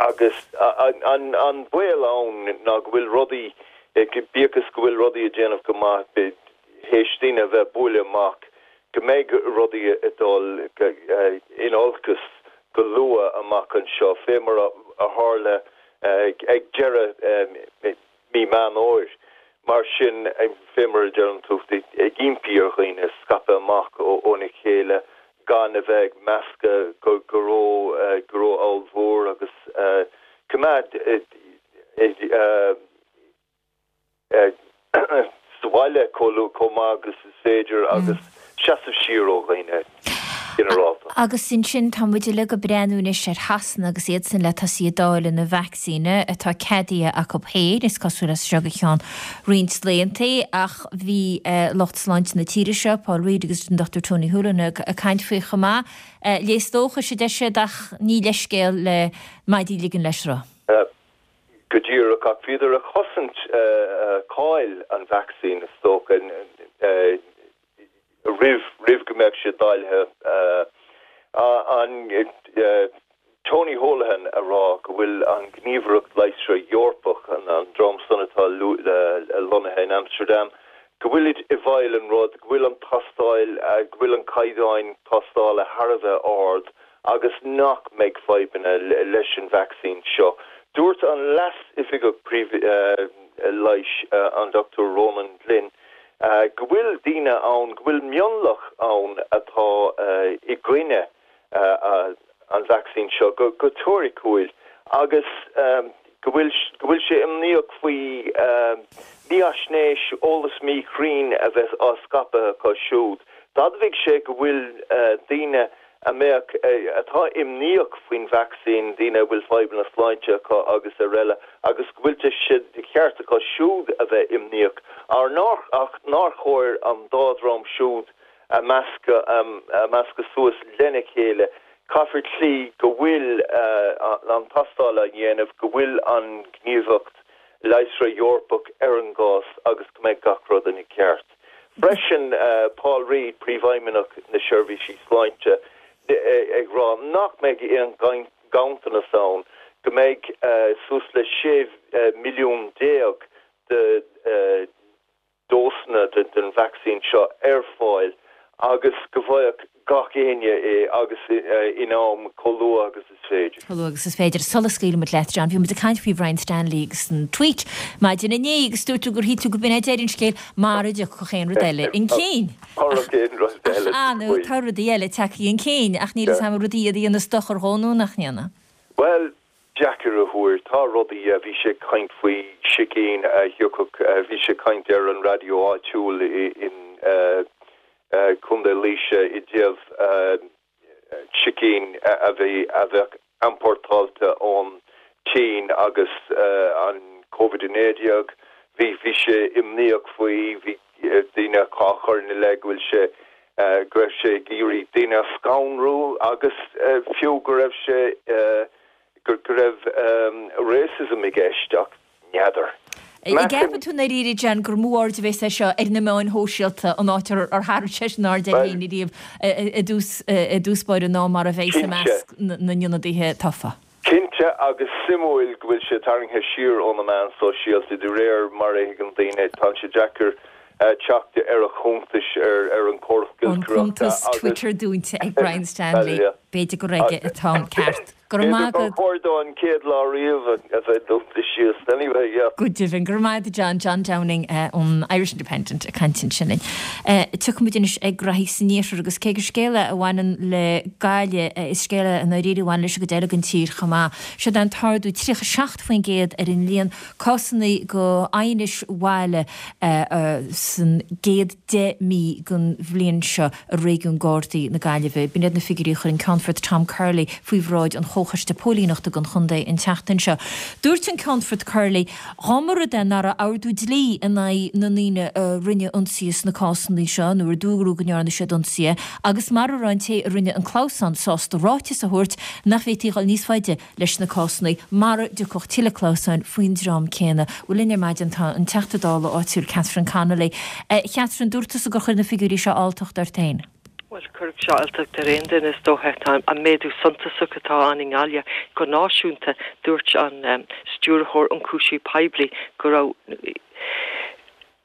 S7: agus an an baol ann ná go bhfuil rudaí, bíodh is go bhfuil rudaí ag déanamh go maith, théis daoine a bheith buaile amach, go mbeidh rudaí ag dul in olcas go luath amach anseo, fé mar a tharla ag deireadh mí Meán Fhómhair. Mar sin, fé mar a deireann tú, ag impí ar dhaoine scaipeadh amach óna chéile, gan a bheith ag meascadh go ró-ollmhór agus coimeád sa bhaile chomh maith agus is féidir agus seasamh siar ó dhaoine ginearálta.
S1: Agus ansin tá muid uilig ag breathnú anois ar Shasana agus iadsan le tosaí ag dáileadh na vacsaíne atá ceadaithe acu féin, is cosúil as seo go ceann roinnt laethanta, ach bhí lucht sláinte na tíre seo, Paul Reid agus an Dochtúir Tony Holohan ag caint faoi chomh maith. Léas dóchais a deir siad ach ní leithscéal le maidí a ligean le sruth.
S7: Go díreach, ach bhíodar ag cosaint cáil an vacsaín, is dócha, roimh roimh go mbeadh sé dáilthe. An Tony Holohan a rá go bhfuil an Ghníomhaireacht Leigheasra Eorpach, an dream san atá lonnaithe in Amsterdam, go bhfuilid i bhfeighil an rud, go bhfuil an tástáil, go bhfuil an caighdeáin tástála thar a bheith ard agus nach mbeidh fadhbanna leis an vacsaín seo. Dúirt an Leas-Oifigeach Príomh-Leighis, an Dochtúir Ronan Glynn, go bhfuil daoine ann, go bhfuil mionlach ann atá i gcoinne an vacsaín seo go teoiriciúil agus go bhfuil go bhfuil sé imníoch faoi mhífhaisnéis, eolas míchruinn a bheith á scaipeadh acu siúd. D'admhaigh sé go bhfuil daoine a mbeadh, atá imníoch faoin vacsaín, daoine a bhfuil fadhbanna sláinte acu agus araile agus go bhfuil sé de cheart acu siúd a bheith imníoch, ach nár chóir an dá dhream siúd a mheascadh suas lena chéile. Caithfear cloí go bhfuil an tástáil á dhéanamh, go bhfuil an Ghníomhaireacht Leigheasra Eorpach ar an gcás agus go mbeidh gach rud ina cheart. Freisin, Paul Reid, Príomhfheidhmeannach na Seirbhísí Sláinte, ag rá nach mbeidh aon ghanntanas ann, go mbeidh suas le sé milliún déag de dósanna den vacsaín seo ar fáil agus go bhfaigheadh gach éinne é agus in am chomh luath agus is féidir.
S1: Chomh luath agus is féidir. Sula scaoilimid leat, John, bhí muid ag caint faoi Bhrian Stanley agus an tweet maidin inné agus dúirt tú gur shíl tú go b'in é deireadh an scéil mara dtiocfadh aon rud eile chun cinn.
S7: Murach aon rud eile.
S1: Ach nó tá rudaí eile tagtha chun cinn ach níl fhios a'm rudaí a dhéanas dochar dhó nó nach ndéanann.
S7: Bhuel, deacair a thuar. Tá rudaí, bhí sé ag caint faoi sicín a thiocfadh, bhí sé ag caint ar an raidió áitiúil in Contae Laoise i dtaobh sicín a bhí a bheadh iompórtáilte ón tSín agus an Covid a naoi déag. Bhí bhí sé imníoch faoi, bhí daoine á chur ina leith go bhfuil sé go raibh sé ag iarraidh daoine a scanrú agus fiú go raibh sé go raibh racism i gceist ach n'fheadar.
S1: An gceapann tú i ndáiríre, John, gur mó aird a bheas air seo ar na meáin shóisialta, an áit ar tharraing seisean aird air féin ariamh i dtús báire ná mar a bheas i measc na n-ionadaithe tofa?
S7: Cinnte, agus suimiúil go bhfuil sé tarraingthe siar ó na meáin sóisialta, de réir mar a thuigeann daoine, tá sé deacair teacht ar a chuntais ar an gcóras
S1: An cuntas Twitter dúnta ag Brian Stanley. B'fhéidir gur aige atá an ceart. Go raibh maith agat.
S7: B'fhéidir gur chóir dó an chéad lá riamh a bheith dúnta síos. Anyway, yeah.
S1: Go deimhin. Go raibh maith agat John, John Downing ón Irish Independent ag caint ansin linn. Tiocfaimid anois ag graithí san iarthar agus cé gur scéal é a bhaineann le Gaillimh, is scéal é i ndáiríre a bhaineann leis an gcuid eile den tír chomh maith. Seod é an t-ardú tríocha seacht faoin gcéad ar an líon cásanna go aighnis bhaile san gcéad deich mí den bhliain seo i réigiún Gardaí na Gaillimhe. B'in iad na figiúirí a chuir an Ceannfort Tom Curley faoi bhráid an Chomhchoiste Póilíneachta don chontae an tseachtain seo. Dúirt an Ceannfort Curley, Dá mba rud é nach raibh ordú dlí in aghaidh na ndaoine a rinne ionsaithe sna cásanna seo nó ar dúradh go ndearna siad ionsaithe agus mara raibh an té a rinne an clamhsán sásta ráiteas a thabhairt nach bhféadfaí dhul níos faide leis na cásanna mara dtiocfadh tuilleadh clamhsáin faoin dream céanna. Bhuel linn ar maidin tá an Teachta Dála áitiúil Catherine Connolly. A Chatherine, dúirt tusa gur chuir na figiúirí seo alltacht ort féin.
S8: Bhuel, chuirfeadh sé alltacht ar aon duine is dócha. Tá an méadú suntasach atá ann i nGaillimh go náisiúnta. Dúirt an Stiúrthóir Ionchúiseamh Poiblí go raibh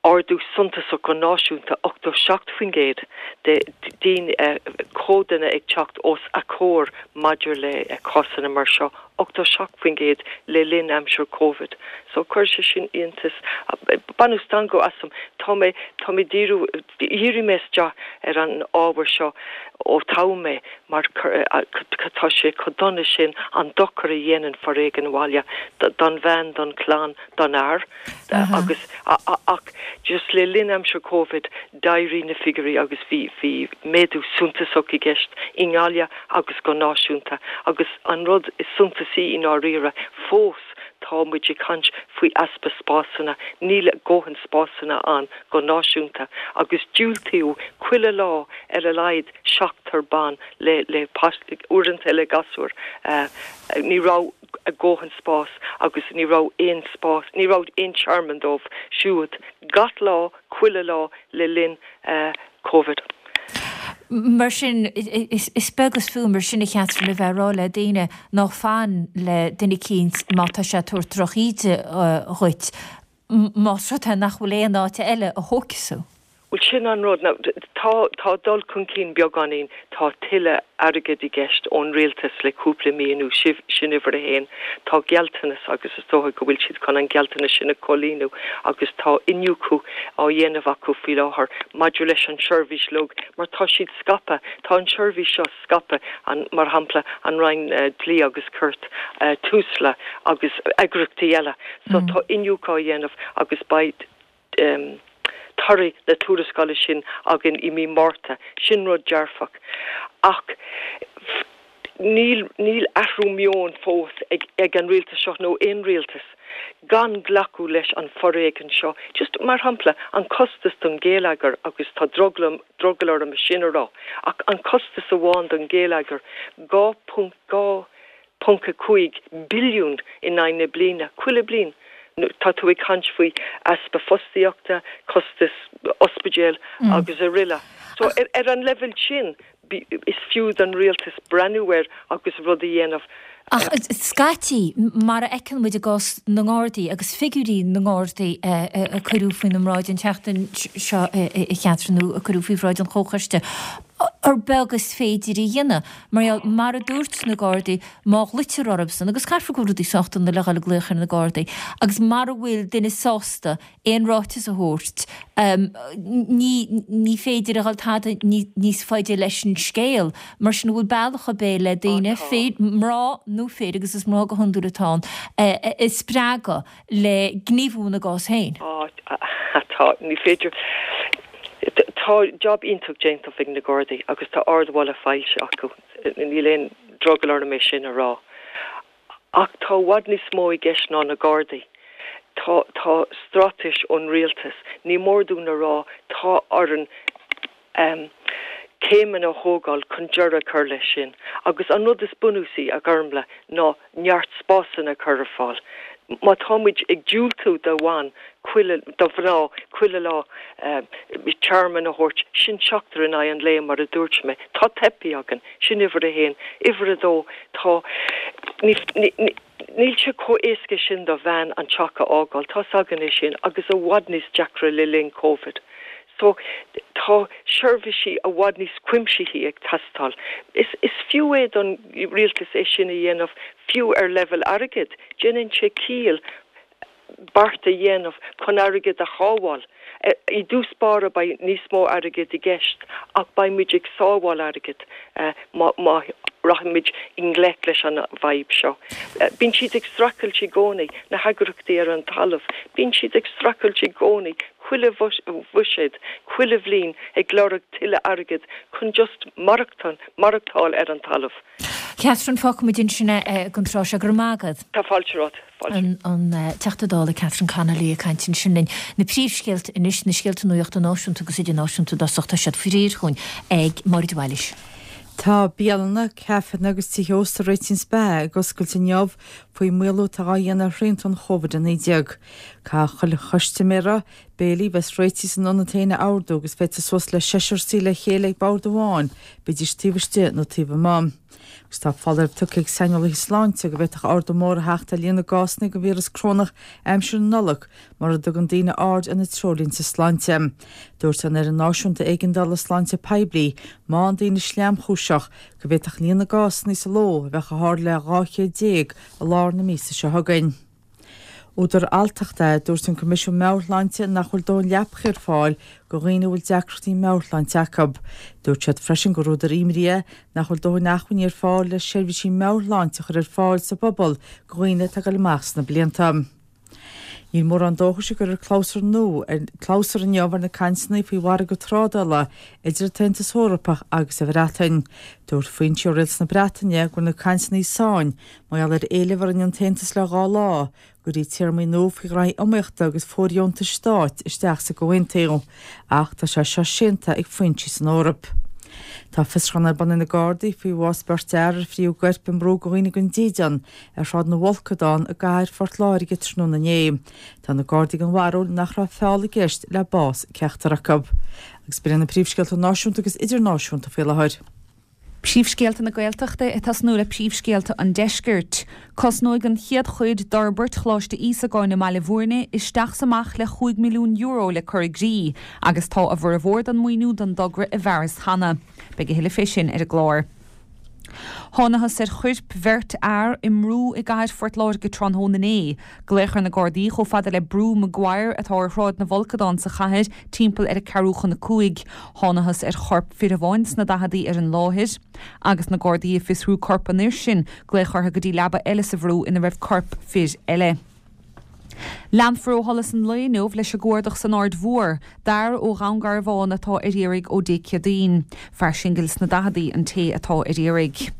S8: ardú suntasach go náisiúnta, ochtó seacht faoin gcéad de daoine comhadanna ag teacht os a comhair maidir le cásanna mar seo, ochtó seacht faoin gcéad le linn aimsir Covid. So chuir sé sin iontas, baineadh stangadh asam. Tá mé, tá mé díriú, dhírigh mé isteach ar an ábhar seo ó toghadh mé mar tá sé chomh dona sin an dochar a dhéanann foréigean bhaile don bhean, don chlann, don fhear agus ach just le linn aimsir Covid d'éirigh na figiúirí agus bhí bhí méadú suntasach i gceist i nGaillimh agus go náisiúnta agus an rud is suntasaí i ndáiríre fós tá muid ag caint faoi easpa spásanna, níl dóthain spásanna ann go náisiúnta agus diúltaíodh chuile lá ar a laghad seachtar ban le le uaireanta le gasúir. Ní raibh dóthain spás agus ní raibh aon spás, ní raibh aon tearmann dóibh siúd gach lá, chuile lá le linn Covid.
S1: Mar sin, is beag is fiú mar sin a Chatherine a bheith ag rá le daoine ná fan le duine eicínt má tá sé ag tabhairt drochíde dhuit, más rud é nach bhfuil aon áit eile a thógfas thú.
S8: Bhuel, sin an rud. Now, tá, tá dul chun cinn beagáinín, tá tuilleadh airgid i gceist ón rialtas le cúpla mí anuas, sin uimhir a haon. Tá gealltanas agus is dócha go bhfuil siad chun an gealltanas sin a chomhlíonadh agus tá iniúchadh á dhéanamh acu faoi láthair maidir leis an tseirbhís uilig mar tá siad scaipthe, tá an tseirbhís seo scaipthe, an, mar shampla, an Roinn Dlí agus Cirt, Tusla agus eagraíochtaí eile. So tá iniúchadh á dhéanamh agus beidh torthaí na tuarascála sin againn i mí Márta. Sin rud dearfach. Ach níl, níl athrú meoin fós ag, ag an rialtas seo nó aon rialtas gan glacadh leis an foréigean seo. Just mar shampla, an costas don ghéilleagar agus tá drogall, drogall orm é sin a rá, ach an costas amháin don ghéilleagar, dhá ponc dhá ponc a cúig billiún in aghaidh na bliana, chuile bliain. Tá tú ag caint faoi easpa fostaíochta, costas ospidéal agus araile. So ar an leibhéal sin, is fiú don rialtas breathnú air agus rud a dhéanamh.
S1: Ach scaití, mar a fheiceann muid i gcás na nGardaí agus figiúirí na nGardaí a cuireadh faoina mbráid an tseachtain seo a Chatherine, nó a cuireadh faoi bhráid an Chomhchoiste, gur beag is féidir a dhéanamh. Mar gheall, mar a dúirt na Gardaí, má ghlaoitear orthusan, agus caithfear go bhfuil rudaí sách dona le dhul ag glaoch ar na Gardaí, agus mara bhfuil duine sásta aon ráiteas a thabhairt, ní féidir a dhul tada níos faide leis an scéal. Mar sin, an bhfuil bealach ar bith le daoine, mná nó fir, agus is mná go hiondúil atá ann, a spreagadh le gníomhú ina gcás féin?
S8: Tá, ní féidir. Tá jab iontach déanta ag na Gardaí agus tá ardmholadh faighte acu, níl aon drogall orm é sin a rá. Ach tá i bhfad níos mó i gceist ná na Gardaí. Tá tá straitéis ón rialtas. Ní mór dúinn a rá tá orainn céimeanna a thógáil chun deireadh a chur leis sin. Agus an rud is bunúsaí, a Ghormfhlaith, ná neart spásanna a chur ar fáil. Má tá muid ag diúltú do bhan chuile, do mhná chuile lá tearmann a thabhairt, sin seachtar in aghaidh an lae mar a dúirt mé. Tá teipthe againn. Sin uimhir a haon. Uimhir a dó, tá, ní, ní, níl sé chomh éasca sin do bhean an teach a fhágáil, tá's againn é sin, agus i bhfad níos deacra le linn Covid. So, tá seirbhísí i bhfad níos cuimsithí ag teastáil. Is, is fiú é don rialtas é sin a dhéanamh, fiú ar leibhéal airgid. Déanann sé ciall beart a dhéanamh chun airgead a shábháil. I dtús báire beidh níos mó airgid i gceist ach beidh muid ag sábháil airgid má má rachaimid i ngleic leis an bhfadhb seo. Bíonn siad ag streachailt i gcónaí, na heagraíochtaí ar an talamh, bíonn siad ag streachailt i gcónaí, chuile bhuiséad, chuile bhliain ag lorg tuilleadh airgid chun just maireachtáil, maireachtáil ar an talamh.
S1: Catherine, fágfaimid ansin é don tráth seo. Go raibh maith agat.
S8: Tá fáilte romhat.
S1: Fáilte. An Teachta Dála Catherine Connolly ag caint ansin linn. Na príomhscéalta anois, na scéalta nuachta náisiúnta agus idirnáisiúnta i dtosach, tá siad faoi réir chugainn ag Máire de Bhailís.
S2: Tá bialanna, caiféanna agus tithe ósta a réitíonn is beatha ag oscailt inniu faoin maolú atá á dhéanamh ar shrianta an Chóivid a naoi déag. Caithfidh chuile chustaiméir béilí bheas réitithe san ionad féin a ordú agus féadfar suas le seisear suí le chéile ag bord amháin, bídís taobh istigh nó taobh amuigh. Agus tá foláireamh tugtha ag saineolaithe sláinte go bhféadfadh ardú mór a theacht ar líon na gcásanna den víreas corónach aimsir na Nollag mura dtugann daoine aird ar na treoirlínte sláinte. Dúirt an Fhoireann Náisiúnta Éigeandála Sláinte Poiblí má bhíonn daoine sleamchúiseach go bhféadfadh líon na gcásanna sa ló a bheith chomh hard le dhá chéad déag i lár na míosa seo chugainn. Údar alltachta é, dúirt an Coimisiún Meabhair-Shláinte nach bhfuil dóthain leapacha ar fáil do dhaoine a bhfuil deacrachtaí meabhairshláinte acu. Dúirt siad freisin gur údar imní é nach bhfuil dóthain acmhainní ar fáil le seirbhísí meabhairshláinte a chur ar fáil sa bpobal do dhaoine atá ag dul amach sna blianta. Níl mórán dóchais go gcuirfear clabhsúr nua ar clabhsúr inniu ar na cainteanna faoi mhargadh trádála idir an tAontas Eorpach agus an Bhreatain. Dúirt foinsí ó Rialtas na Breataine go bhfuil na cainteanna i sáinn mar gheall ar éileamh a rinne an tAontas le dhá lá go gcuirfí téarmaí nua faoi ghraithí iomaíochta agus fóirdheontais stáit isteach sa gcomhaontú ach tá sé seo séanta ag foinsí san Eoraip. Tá fiosrúchán ar bun ag na Gardaí faoi bhás beirt fhear ar frítheadh a gcoirp i mbrú do dhaoine gan dídean ar Shráid na bhFolcadán i gcathair Phort Láirge tráthnóna inné. Tá na Gardaí den bharúil nach raibh feall i gceist le bás ceachtar acu. Agus b'in iad na príomhscéalta náisiúnta agus idirnáisiúnta faoi láthair.
S3: Príomhscéalta na Gaeltachta ag tosnú le príomhscéalta an Deiscirt. Cosnóidh an chéad chuid d'fhorbairt Choláiste Íosagáin i mBaile Bhúirne isteach 's amach le chúig milliún euro le cur i gcrích agus tá a bhformhór den maoiniú don dtogra i bhfearas cheana. Beidh a thuilleadh fé sin ar an gclár. Thánathas ar choirp bheirt fhear i mbrú i gcathair Phort Láirge tráthnóna inné. Glaodh ar na Gardaí chomh fada le Brú Maguire atá ar Shráid na bhFolcadán sa chathair timpeall ar a ceathrú chun a cúig. Thánathas ar chorp fir amháin sna daicheadaí ar an láthair. Agus na Gardaí ag fiosrú corp an fhir sin, glaodh orthu go dtí leaba eile sa bhrú ina raibh corp fir eile. Leanfar ó sholas an lae inniu leis an gcuardach san Aird Mhór d'fhear ó Dhún Garbhán atá ar iarraidh ó Dé Céadaoin. Fear singil sna daicheadaí an té atá ar iarraidh.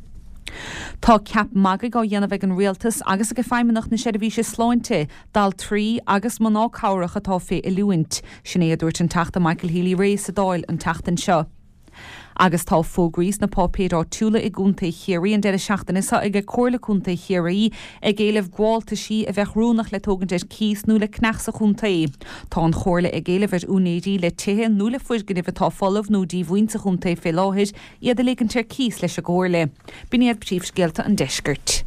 S3: Tá ceap magaidh á dhéanamh ag an Rialtas agus ag Feidhmeannacht na Seirbhíse Sláinte d'altraí agus mná cabhrach atá fé oiliúint. Sin é a dúirt an Teachta Michael Healy-Rae sa Dáil an tseachtain seo. Agus tá fógraí sna páipéir áitiúla i gContae Chiarraí an deireadh seachtaine seo ag Comhairle Contae Chiarraí ag éileamh gabháltaisí a bheadh oiriúnach le tógaint ar cíos nó le ceannach sa chontae. Tá an Chomhairle ag éileamh ar úinéirí le tithe nó le foirgnimh atá folamh nó díomhaoin sa chontae fé láthair iad a ligint ar cíos leis an gComhairle. B'in iad príomhscéalta an deiscirt.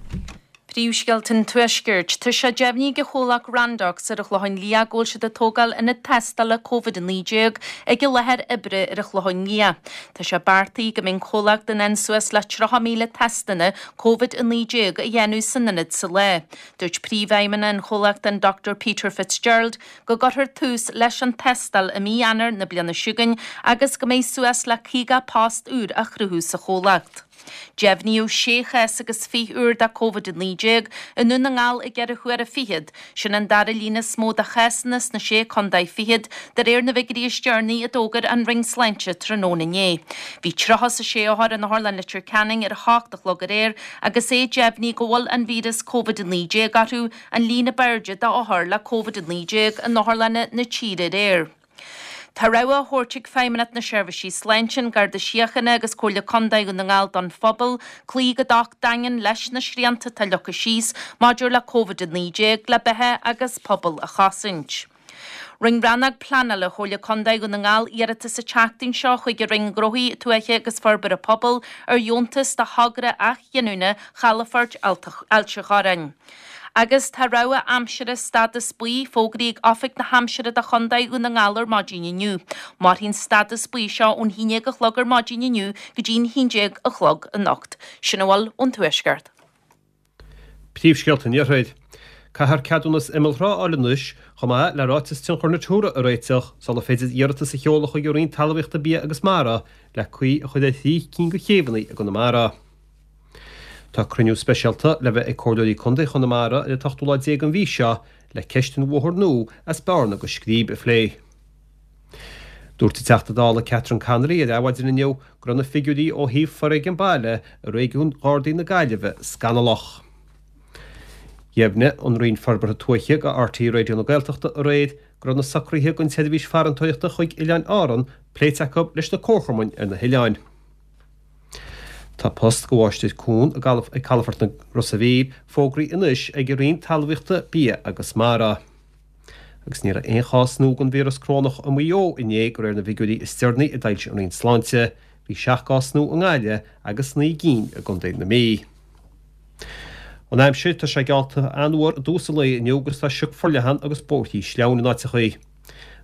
S4: Príomhscéalta an Tuaiscirt. Tá sé deimhnithe ag an chomhlacht Randox ar an Chlochán Liath go bhfuil siad ag tógáil ionad tástála Covid a naoi déag ag a láthair oibre ar an Chlochán Liath. Tá sé beartaithe go mbeidh an comhlacht in ann suas le tríocha míle testanna Covid a naoi déag a dhéanamh san ionad sa lá. Dúirt príomhfheidhmeannach an chomhlachta an Dochtúir Peter Fitzgerald go gcuirfear tús leis an tástáil i mí Eanáir na bliana seo chugainn agus go mbeidh suas le caoga post úr á chruthú sa chomhlacht. Deimhníodh sé chás agus fiche úr de Covid a naoi déag i nDún na nGall i gceithre huaire fichead, sin an dara líon is mó de chásanna sna sé contae fichead de réir na bhfigiúirí is deireanaí a d'fhógair an Roinn Sláinte tráthnóna inné. Bhí tríocha is a sé othar in Otharlann Leitir Ceanainn ar a hocht a chlog aréir agus é deimhnithe go bhfuil an víreas Covid a naoi déag orthu, an líon ab airde d'othair le Covid a naoi déag in otharlanna na tíre aréir. Tá rabhadh á thabhairt ag Feidhmeannacht na Seirbhísí Sláinte, an Garda Síochána agus Comhairle Contae Dhún na nGall don phobal cloí go docht daingean leis na srianta atá leagtha síos maidir le Covid a naoi déag le beatha agus pobal a chosaint. Rinne Rannóg Pleanála Chomhairle Contae Dhún na nGall iarratas an tseachtain seo chuig an Roinn Gnóthaí Tuaithe agus Forbartha Pobail ar dheontas do thogra athghiniúna Chalafort Ailt an Chorráin. Agus tá rabhadh aimsire stádas buí fógraithe ag Oifig na hAimsire do Chontae Dhún na nGall ar maidin inniu. Mairfidh an stádas buí seo ón haon déag a chlog ar maidin inniu go dtí an haon déag a chlog anocht. Sin a bhfuil ón Tuaisceart.
S5: Príomhscéalta an Iarthair. Caithfear ceadúnas imeallthrá a fháil anois, chomh maith le ráiteas tionchar Natura a réiteach, sular féidir iarratas a sheoladh chuig an Roinn Talmhaíochta Bia agus Mara le caoi a chur ar thrí cinn de chéibheanna i gConamara. Tá cruinniú speisialta le bheith ag Comhairleoirí Contae Chonamara ar an t-ochtú lá déag den mhí seo le ceist an bhóthair nua as Bearna go Scríb a phlé. Dúirt an Teachta Dála Catherine Connolly ar Adhmhaidin inniu go raibh na figiúirí ó thaobh foréigean baile i réigiún Ghardaí na Gaillimhe scannalach. Dheimhnigh an Roinn Forbartha Tuaithe go R T É Raidió na Gaeltachta aréir go raibh na socruithe don tseirbhís farantóireachta chuig Oileáin Árann pléite acu leis na comharchumainn ar na hoileáin. Tá post do mháistir cuain ag calafort na Rosa Mhíl fógraithe anois ag an Roinn Talmhaíochta, Bia agus Mara. Agus ní raibh aon chás nua den víreas corónach i Maigh Eo inné de réir na bhfigiúirí is deireanaí a d'fhoilsigh an Roinn Sláinte. Bhí seacht gcás nua i nGaillimh agus naoi gcinn i gContae na Mí. An aimsir, tá sé geallta an-fhuar i dtús an lae inniu agus tá sioc forleathan agus bóithrí sleamhain in áiteachaí.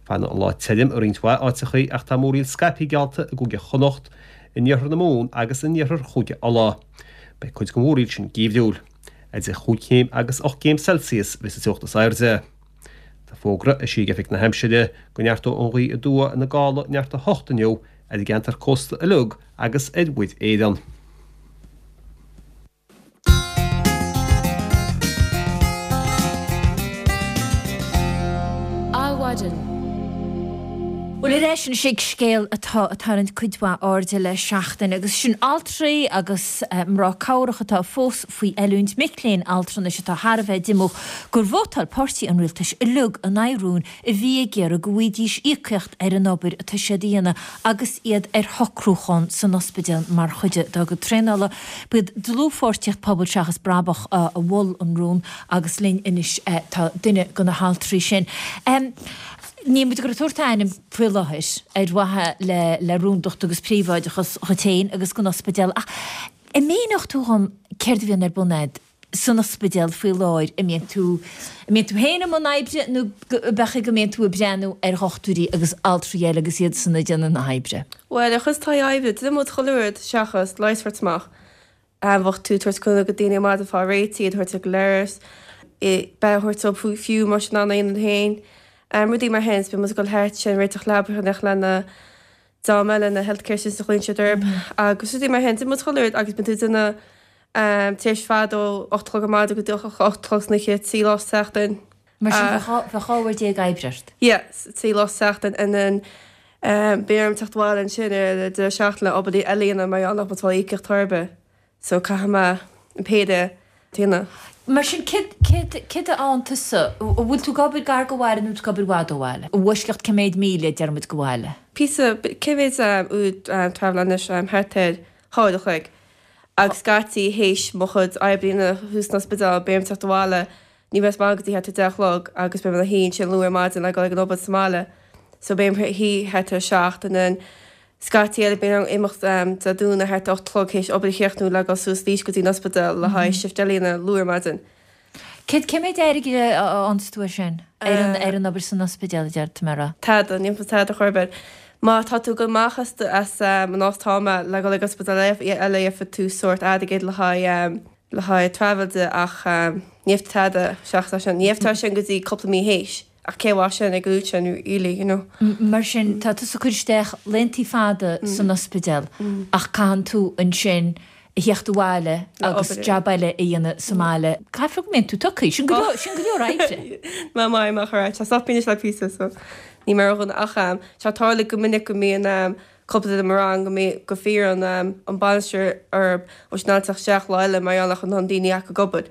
S5: Fanfaidh an lá tirim i roinnt mhaith áiteachaí ach tá múraíl scaipthe geallta i gCúige Chonnacht, in iarthar na Mumhan agus in iarthar Chúige Uladh. Beidh cuid den mhúraíl sin geimhriúil. Idir chúig chéim agus ocht gcéim Celsius a bheas an teocht is airde. Tá fógra eisithe ag Oifig na hAimsire go neartóidh an ghaoth aduaidh ina gála neart a hocht inniu ar an gceantar cósta uilig agus ar Mhuir Éireann.
S1: Adhmhaidin. Bhuel, ar ais anois ag scéal atá ag tarraingt cuid mhaith airde le seachtain, agus sin altraí agus mná cabhrach atá fós faoi oiliúint, mic léinn altranais atá thar a bheith díomách gur vótáil páirtí an rialtais uilig in aghaidh rúin a bhí ag iarraidh go bhfaighidís íocaíocht ar an obair atá siad a dhéanamh agus iad ar shocrúchán san ospidéal mar chuid dá gcuid traenála. B'iad Dlúthpháirtíocht Pobal Seachas Brabach a mhol an rún agus linn anois tá duine de na haltraí sin. Níl muid ag tabhairt ainm faoi láthair ar mhaithe le le rúndacht agus príobháideachas dhuit féin agus don ospidéal ach an míneodh tú dhom céard a bhíonn ar bun a'd san ospidéal faoi láthair, an mbíonn tú an mbíonn tú féin i mbun oibre nó b'fhéidir go mbíonn tú ag breathnú ar dhochtúirí agus altraí eile agus iad san ag déanamh na hoibre?
S9: Bhuel, ar chuid taithí oibre, déanann muid chuile rud seachas leigheas a thabhairt amach. Bheadh tú ag tabhairt cúnamh go daoine ar maidin fá réitigh, iad a thabhairt ag leithreas, beatha a thabhairt dóibh fiú más in ann a dhéanamh féin. Rudaí mar sin, bíonn muid ag dul thart sin, réiteach leapacha lena dream eile, na healthcare assistants a ghlaonn siad orthu agus rudaí mar sin. Déanann muid chuile rud agus bíonn tú ag déanamh tar éis fad ó ocht a chlog ar maidin go dtí a hocht a chlog san oíche, trí lá sa tseachtain.
S1: Mar sin bheadh dhá uair déag oibre ort?
S9: Yeah, trí lá sa tseachtain and then bíonn orm teacht abhaile ansin ar an deireadh seachtaine le obair eile a dhéanamh mar gheall nach bhfuil fáil íocaíocht ar bith. So caithfidh mé an péire a dhéanamh.
S1: Mar sin, céard, céard, céard a fhaigheann tusa? An bhfuil tú ag obair gar go bhaile nó tú ag obair i bhfad ó bhaile? I bhfoisceacht cé mhéad míle, deir muid, go bhaile?
S9: Píosa, cé mhéad uair travel anois thart ar dhá uair a chloig agus scaití théis mo chuid oibre a dhéanamh thuas san ospidéal beidh orm teacht abhaile ní bheidh mé sa mbaile go dtí thart ar deich a chlog agus beidh mé ina shuí ansin luath ar maidin le dul ag an obair sa mbaile so beidh mé ina shuí thart ar a seacht and then scaití eile bíonn orm imeacht Dé Domhnaigh thart ar ocht a chlog théis obair a chríochnú le dul suas arís go dtí an ospidéal le haghaidh shift eile a dhéanamh luath ar maidin.
S1: Céard, cé mhéad airgid a fhaigheanns tú ar sin, ar an, ar an obair san ospidéal, a deir tú mé a rá?
S9: Tada, ní fhaigheann tada chor ar bith. Má tá tú ag dul amach as, as an áit atá mé le dul ag ospidéal eile gheobhaidh tú sórt airgead le haghaidh, le haghaidh travel de ach ní gheobhaidh tú tada seachas é sin. Ní gheobhaidh tú é sin go dtí cúpla mí théis. Ach cé mhaith sin ag an uair sin really, you know.
S1: Mar sin, tá tusa ag cur isteach laethanta fada san ospidéal ach caitheann tú ansin a theacht abhaile agus jab eile a dhéanamh sa mbaile. Caithfidh go mbíonn tú tugtha. Sin go leor, sin go leor oibre.
S9: Má maith amach ar ait. Tá stop anois le píosa so ní mar a ach tá tarla go minic go mbíonn cúpla duine i mo rang go mbíonn go bhfiarrann an bainisteoir orthu an bhfuil siad in ann teacht isteach lá eile mar gheall nach bhfuil daoine acu ag obair.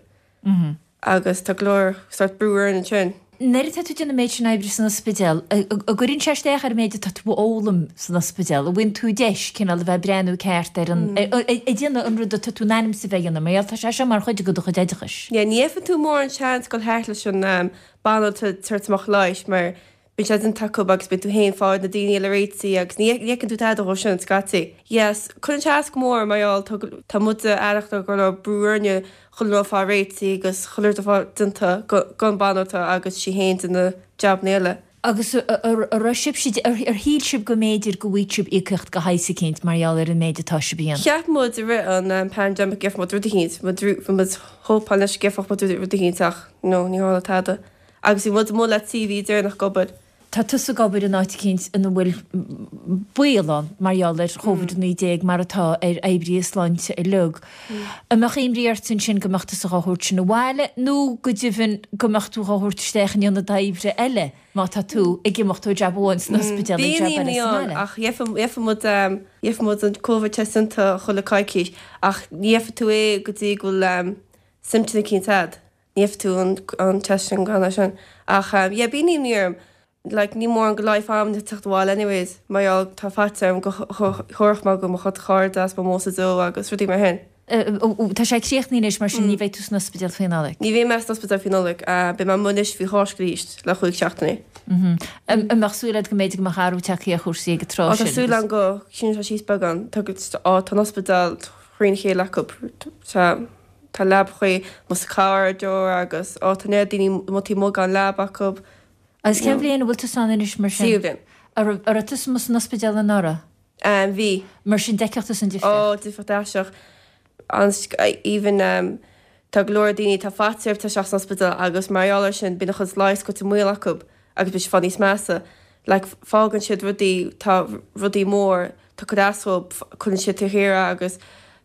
S9: Agus tá go leor sórt brú orainn ansin.
S1: Nuair atá tú ag déanamh an méid sin oibre san ospidéal, an gcuireann sé isteach ar an méid atá tú a fhoghlaim san ospidéal? An bhfaigheann tú deis cineál a bheith ag breathnú ceart ar an, ag déanamh an rud atá tú in ainm is a bheith a dhéanamh, mar gheall tá sé seo mar chuid de do chuid oideachais.
S9: Yeah, ní fhaigheann tú mórán seans dul thart leis an banaltra tabhairt amach leighis mar Bíonn sé déanta acu agus bíonn tú féin fáil na daoine eile réitithe agus ní fheiceann tú tada dhó sin, scaití. Yes, cuireann sé as go mór mar gheall tá tá muid aireachta go raibh brú orainne chuile rud fáil réitithe agus chuile rud a fáil déanta don banaltra agus sí féin déanamh jabanna eile.
S1: Agus a raibh sibhse, ar shíl sibh go mb'fhéidir go bhfaighidh sibh íocaíocht de shaghas eicínt mar gheall ar an méid atá sibh a dhéanamh?
S9: Cheap muid i rith an pandemic go gheobhadh muid rud eicínt, bhí muid hópáil leis go gheobhadh muid rud eicínt ach no, ní tharla tada. Agus bhí muid amuigh le trí mhí deireanach ag obair.
S1: Tá tusa ag obair in áit eicínt ina bhfuil baol ann mar gheall ar Covid a naoi déag mar atá ar oibrithe sláinte uilig. An mbeadh imní ort ansin go mbeadh tusa dhá thabhairt sin abhaile nó go deimhin go mbeadh tú dhá thabhairt isteach in ionad oibre eile má tá tú ag imeacht ó jab amháin san ospidéal ag
S9: Bíonn
S1: jab eile
S9: imní
S1: sa
S9: ann
S1: mbaile?
S9: ach gheobhaidh muid gheobhaidh muid an Covid test déanta chuile coicís ach ní gheobhaidh tú é go dtí go bhfuil symptoms eicínt a'd. Ní gheobhaidh tú an test sin gan é sin. Ach yeah bíonn imní orm. Like ní mórán go leigheas a'm teacht abhaile anyways mar gheall tá faitíos orm go thabharfadh mé go mo chuid cairde as mo mhó sa deo agus rudaí mar shin.
S1: Tá sé críochnaithe anois mar sin ní bheidh tú san ospidéal faoi Nollaig?
S9: Ní bheidh mé san ospidéal faoi Nollaig. Beidh mé amuigh anois faoi Cháisc arís le chúig seachtainí.
S1: An mbeadh súil agat go mb'fhéidir go mbeadh athrú tagtha ar chúrsaí ag an tráth
S9: sin? Tá súil agam go síneann sé síos beagán. Tá an ospidéal thrína chéile acu. Tá. Tá leabachaí amuigh sa corridor agus á tá neart daoine amuigh taobh amuigh gan leaba acu.
S1: Agus cén bhliain a bhfuil tusa ann anois mar sin?
S9: Tríú bliain.
S1: An raibh, an raibh tusa amuigh san ospidéal anuraidh?
S9: Bhí.
S1: Mar sin d'fheicfeadh tusa an difríocht?
S9: Ó, difríocht aisteach. An, even, tá go leor daoine, tá faitíos orthu teacht isteach san ospidéal agus mar gheall air sin bíonn a chuid leighis goite i mbaol acu agus bíonn siad fáil níos measa. Like, fágann siad rudaí, tá rudaí mór, tá cur as dhób, cuireann siad taobh thiar é agus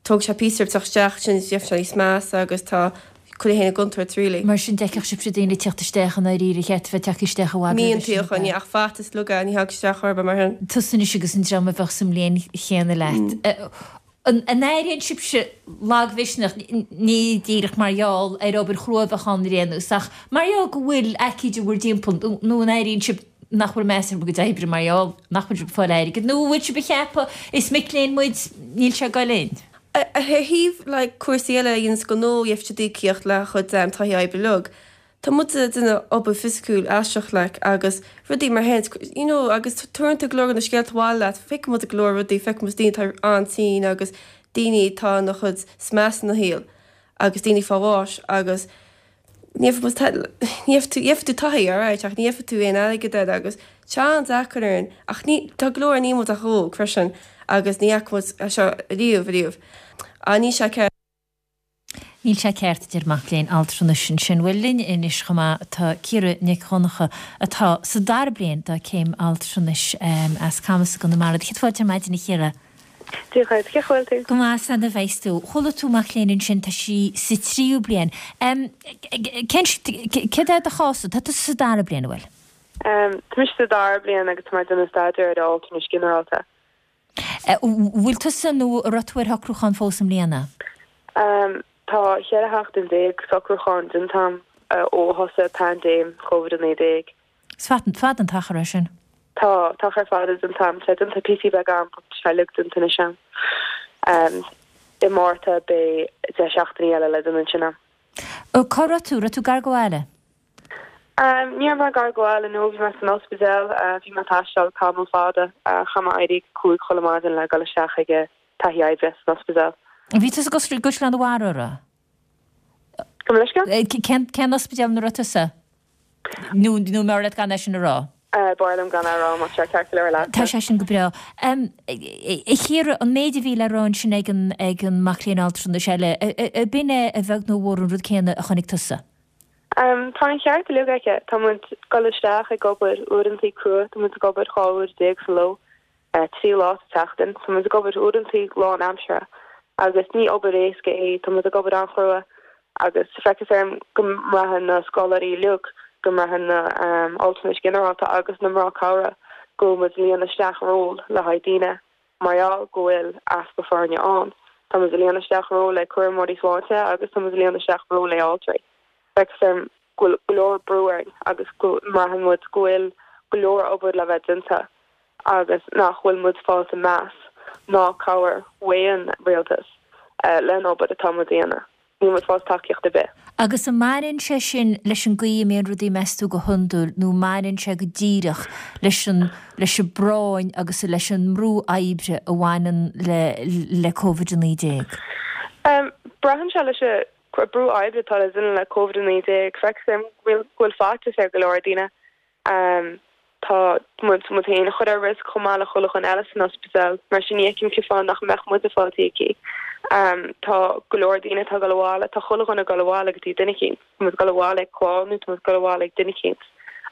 S9: tógann sé píosa orthu teacht isteach, sin gheobhaidh sé níos measa agus tá cuireann féin i gcontúirt really.
S1: Mar sin d'fheicfeadh sibhse daoine ag teacht isteach i ndáiríre, cheart a bheith tagtha isteach i bhfad
S9: roimhe sin, ab ea? Ach faitíos uilig ní thagann isteach orthu mar sin.
S1: Tusa anois agus an dream a bheadh sa mbliain chéanna leat. An airíonn sibhse lagmhisneach, ní díreach mar gheall ar obair chrua a bheadh ann ar aon nós, ach mar gheall go bhfuil aicíd i bhur dtimpeall, nó an airíonn sibh nach bhfuil meas ar bhur gcuid oibre mar gheall nach bhfuil sibh ag fáil airgid, nó an bhfuil sibh ag ceapadh is mic léinn muid, níl sé ag goil linn?
S9: Ar thaobh like cúrsaí eile a dhéanas gnó, gheobhaidh siad íocaíocht le chuid taithí oibre uilig. Tá muid ag déanamh obair fisiciúil aisteach like agus rudaí mar shin you know agus tabharann tú go leor de na scéalta abhaile leat, feiceann muid go leor rudaí, feiceann muid daoine atá an-tinn agus daoine atá ina chuid is measa ina shaol agus daoine fá bháis agus ní gheobhaidh ní gheobhaidh tú, gheobhaidh tú taithí alright ach ní gheobhaidh tú aon airgead air agus tá an-deacair orainn ach ní, tá go leor, níl muid ach óg freisin agus ní fhaca muid é seo riamh riamh. Á níl sé ceart.
S1: Níl sé ceart, a deir mac léinn altranais ansin. Bhuel, linn anois chomh maith tá Ciara Nic Dhonncha atá sa dara bliain dá céim altranais as Camas i gConamara. Céad fáilte ar maidin, a Chiara.
S10: Dia dhuit, cén chaoi a bhfuil tú?
S1: Go maith, is annamh a bheas tú. Chuala tú mac léinn ansin, tá sí sa tríú bliain. Cén, céard é do chás? Tá tusa sa dara bliain, an bhfuil?
S10: Tá mise sa dara bliain agus tá mé ag déanamh staidéar ar altranas ginearálta.
S1: Bhfuil tusa nó an raibh tú ar shocrúchán fós i mbliana?
S10: Tá cheithre sheachtain déag socrúcháin déanta a'm ó thosaigh paindéim Covid a naoi déag.
S1: Is fada an t-achar é sin.
S10: Tá, tá ar fad déanta a'm, tá déanta píosa beag a'm, tá sé uilig déanta anois a'm. I Márta beidh deich seachtainí eile le déanamh ansin a'm.
S1: Cá raibh tú? Raibh tú gar go bhaile?
S10: Ní raibh mé gar go bhaile, no, bhí mé san ospidéal, bhí mé ag taisteal tamall fada, chaith mé éirí ag cúig chuile maidin le dul isteach ag taithí oibre san ospidéal.
S1: Bhí tusa i gCaisleán an Bharraigh, an raibh?
S10: Gabh mo leithscéal?
S1: Cén ospidéal ina raibh tusa? Nó nó mb'fhearr leat gan é sin a rá?
S10: B'fhearr liom gan é a rá, má tá sé ceart go leor leat.
S1: Tá sé sin go breá. A Chiara, an méid a bhí le rá ansin ag an ag an mac léinn altranais eile, ab in é a bheag nó a mhór an rud céanna a chonaic tusa?
S10: Tá an ceart uilig aici. Tá muid ag dul isteach ag obair uaireantaí crua, tá muid ag obair dhá uair déag sa ló, trí lá sa tseachtain. Tá muid ag obair uaireantaí lánaimseartha agus ní obair éasca é, tá muid ag obair an-chrua agus feictear dom go mbraitheann na scoláirí uilig, go mbraitheann na altranais ginearálta agus na mná cabhrach go bhfuil muid ag líonadh isteach ról le haghaidh daoine mar gheall go bhfuil easpa foirne ann. Tá muid ag líonadh isteach ról le cúramóirí sláinte agus tá muid ag líonadh isteach ról le altraí. Feictear dom go bhfuil go leor brú orainn agus go mbraitheann muid go bhfuil go leor obair le bheith déanta agus nach bhfuil muid fáilte meas ná cabhair ón rialtas len obair atá muid a dhéanamh. Níl muid fáilte tacaíocht ar bith.
S1: Agus an mbaineann sé sin leis an gcaoi a mbíonn rudaí meas tú go hiondúil nó mbaineann sé go díreach leis an leis an bpráinn agus leis an mbrú oibre a bhaineann le le Covid a naoi déag?
S10: Braitheann sé leis an brú oibre atá le déanamh le Covid a naoi déag. Feictear dom go bhfuil faitíos ar go leor daoine. Tá muid muid féin a chur ar riosca chomh maith le chuile dhuine eile san ospidéal, mar sin ní fheicim cén fáth nach mbeadh muid ag fáil íocaí. Tá go leor daoine atá ag dul abhaile, tá chuile dhuine ag dul abhaile go dtí duine eicínt. Tá muid ag dul abhaile ag clann nó tá muid ag dul abhaile ag duine eicínt.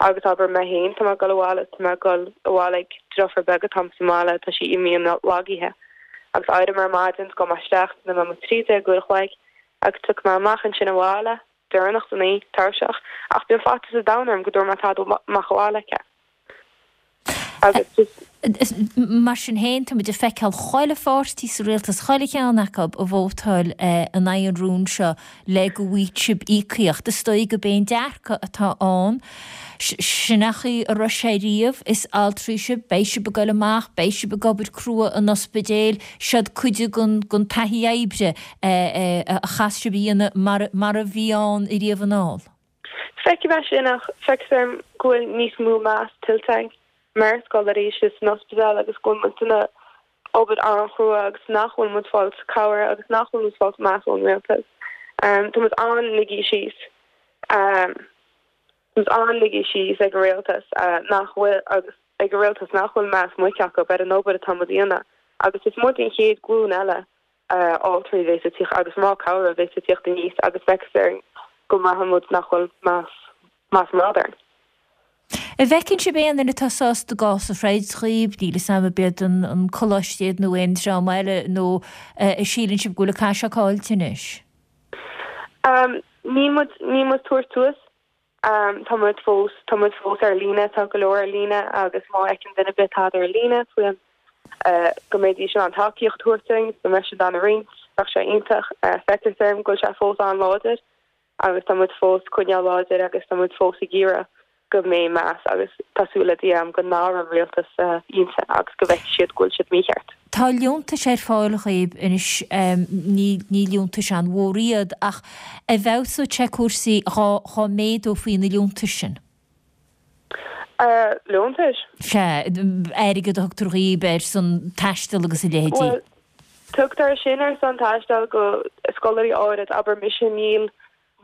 S10: Agus abair mé féin, tá mé ag dul abhaile, tá mé ag dul abhaile ag deirfiúr beag atá sa mbaile, tá sí imdhíon-lagaithe. Agus éirim ar maidin, gabhaim isteach, déanfaidh mé mo trí déag uair a chloig agus tiocfaidh mé amach ansin abhaile, deireanach san oíche, tuirseach, ach bíonn faitíos an domhain orm go dtabharfaidh mé tada amach abhaile aici. Agus just.
S1: Mar sin féin, tá muid ag feiceáil chuile pháirtí sa rialtas, chuile cheann acu ag vótáil in aghaidh an rúin seo le go bhfaighidh sibh íocaíocht. Is dóigh gurb é an dearcadh atá ann, sin an chaoi a raibh sé riamh, is altraí sibh, beidh sibh ag goil amach, beidh sibh ag obair crua in ospidéil, seod cuid den taithí oibre a chaithfeas sibh a dhéanamh mar a bhí ann ariamh anall.
S10: Feicim é sin ach feictear dom go bhfuil níos mó meas tuillte againn mar scoláirí istigh san ospidéal agus go bhfuil muid ag déanamh obair an-chrua agus nach bhfuil muid fáilt cabhair agus nach bhfuil muid fáilt meas ón rialtas. Tá muid an-ligthe síos. Tá muid an-ligthe síos ag an rialtas nach bhfuil agus ag an rialtas nach bhfuil meas muic acu ar an obair atá muid a dhéanamh agus is muid an chéad ghlúin eile altraí a bheas ag tíocht agus mná cabhrach a bheas ag tíocht aníos agus feictear dom go mbraitheann muid nach bhfuil meas meas mórán orainn.
S1: An bhfeiceann sibh aon duine atá sásta a gcás a throid dhaoibh, níl 'fhios a'm ab iad an coláiste iad nó aon dream eile, nó an síleann sibh go bhfuil an cath seo caillte anois?
S10: Níl muid, níl muid ag tabhairt suas. Tá muid fós, tá muid fós ar líne, tá go leor ar líne agus má fheiceann duine ar bith tada ar líne faoin go mbeidís in ann tacaíocht a thabhairt dúinn, go mbeidh siad in ann a roinnt, bheadh sé iontach. Feictear dom go bhfuil sé fós an-láidir agus tá muid fós ag coinneáil láidir agus tá muid fós ag iarraidh go mbeidh meas agus tá súil le Dia agam go n-athróidh an rialtas a intinn agus go bhfeicfidh siad go bhfuil siad mícheart.
S1: Tá liúntais ar fáil dhaoibh anois, ní ní liúntais an-mhór iad ach an bhfeabhsódh sé cúrsaí dhá dhá méadófaí na liúntais sin?
S10: Liúntais?
S1: Sea, airgead a thugtar dhaoibh ar son taistil agus a leithéidí.
S10: Bhuel, tugtar sin ar son taistil go scoláirí áirid, abair mise, níl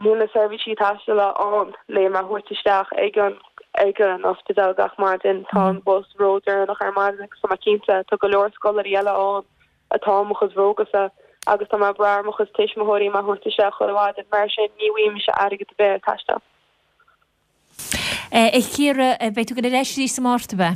S10: níl na seirbhísí taistil ann le mé a thabhairt isteach ag an ag an ospidéal gach maidin, tá an bus ródheireanach ar maidin agus tá mé cinnte tá go leor scoláirí eile ann atá i mo chuid brógasa agus tá mé ag brath ar mo chuid tuismitheoirí mé a thabhairt isteach chuile mhaidin, mar sin ní bhfaighidh mise airgead ar bith ar taisteal.
S1: A Chiara, beidh tú ag dul ar ais arís i Márta, ab ea?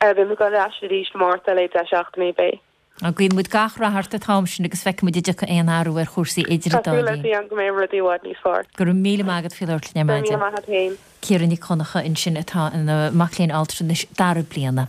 S10: Beidh mé ag dul ar ais arís i Márta le deich seachtainí, beidh.
S1: Guíonn muid gach rath ort an t-am sin agus feicfidh muid an dtiocfaidh aon athrú ar chúrsaí idir an
S10: Tá
S1: dá
S10: súil le
S1: linn.
S10: Dia go mbeidh rudaí i bhfad níos fearr.
S1: Go raibh míle maith agat faoi labhairt linn ar
S10: Go raibh míle
S1: maidin.
S10: maith agat féin.
S1: Ciara Nic Dhonncha ansin atá ina mac léinn altranais dara bliana.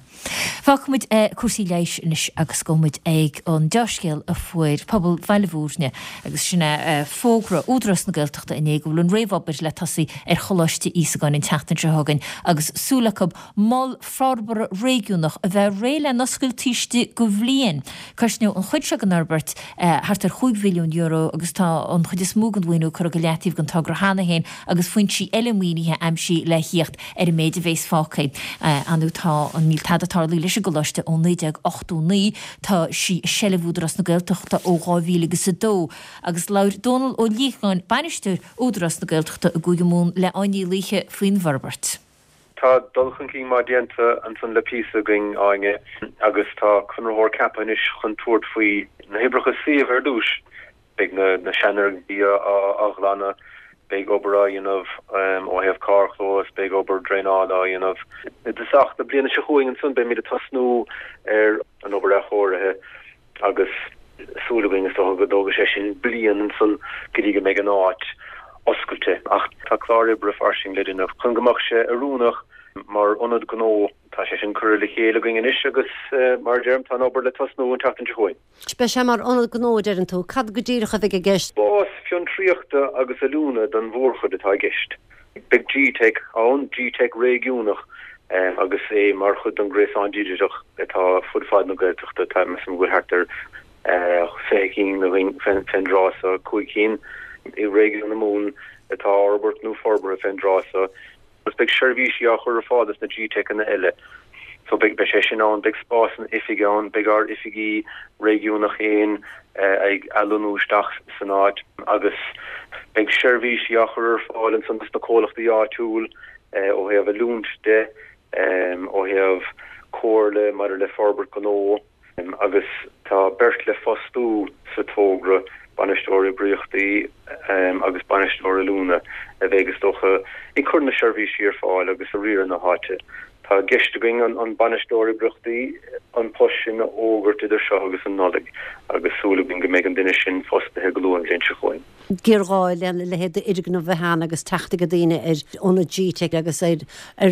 S1: Fágfaimid cúrsaí leighis anois agus gabhfaimid ag an dea-scéal a fuair pobal Bhaile Bhúirne agus sin é fógra Údarás na Gaeltachta inné go bhfuil an réamhobair le tosaí ar Choláiste Íosagáin an tseachtain seo chugainn agus súil acu mol forbartha réigiúnach a bheith réidh le n-oscailt taobh istigh de bhliain. Cosnóidh an chuid seo den fhorbairt thart ar chúig mhilliún euro agus tá an chuid is mó den mhaoiniú curtha go leataobh don togra cheana féin agus foinsí eile maoinithe aimsithe le thíocht ar an méid a bhéas fágtha. Anu tá an níl tada tarlaithe leis an gcoláiste ó naoi déag ochtó naoi, tá sí i seilbh Údarás na Gaeltachta ó dhá mhíle agus a dó agus labhair Dónal Ó Liatháin, Bainisteoir Údarás na Gaeltachta i gCúige Mumhan le Áine Ní Laoithe faoin bhforbairt.
S11: Tá dul chun cinn maith déanta ansan le píosa againn, Áine, agus tá conraitheoir ceaptha anois chun tabhairt faoi na hoibreacha suímh ar dtús. Beidh na seanfhoirgintí á ghlanadh, beidh obair á dhéanamh ó thaobh carrchlós, beidh obair draenála á dhéanamh. I dtosach na bliana seo chugainn ansan beimid ag tosnú ar an obair athchóirithe agus súil againn is dócha go dtógfaidh sé sin bliain ansan go dtí go mbeidh an áit oscailte. Ach tá clár oibre fairsing le déanamh chun go mbeadh sé oiriúnach mar ionad gnó. Tá sé sin curtha le chéile againn anois agus mar a deirim tá an obair le tosnú an tseachtain seo chugainn.
S12: Beidh sé mar ionad gnó a deireann tú. Cad go díreach a bheidh i gceist?
S11: Spás fiontraíochta agus oiliúna don mhórchuid atá i gceist. Beidh G-Teic ann, G-Teic réigiúnach agus é mar chuid den ghréasán digiteach atá fud fad na Gaeltachta. Tá, measaim go bhfuil thart ar fiche cinn againn fén dtráth so, cúig cinn i réigiún na Mumhan atá á fhorbairt nó forbartha fén dtráth so. Agus beidh seirbhísí á chur ar fáil dos na G-Teiceanna eile. So beidh beidh sé sin ann, beidh spásanna oifige ann, beidh ár oifigí réigiúnach féin ag athlonnú isteach san áit agus beidh seirbhísí á chur ar fáil ansan dos na comhlachtaí áitiúil ó thaobh oiliúint de, ó thaobh comhairle maidir le forbairt gnó. Agus tá beirt le fostú sa togra, bainisteoir oibríochtaí agus bainisteoir oiliúna, a bheidh, is dócha, ag cur na seirbhísí ar fáil agus ag riaradh na háite. Tá i gceist againn an bainisteoir oibríochtaí, an post sin a fhógairt idir seo agus an Nollaig agus súil againn go mbeidh an duine sin fostaithe go luath an bhliain seo chugainn.
S12: Géarghá lena leithéid d'fhoirgneamh a bheith ann agus teacht ag daoine ar ionad G-Teic agus ar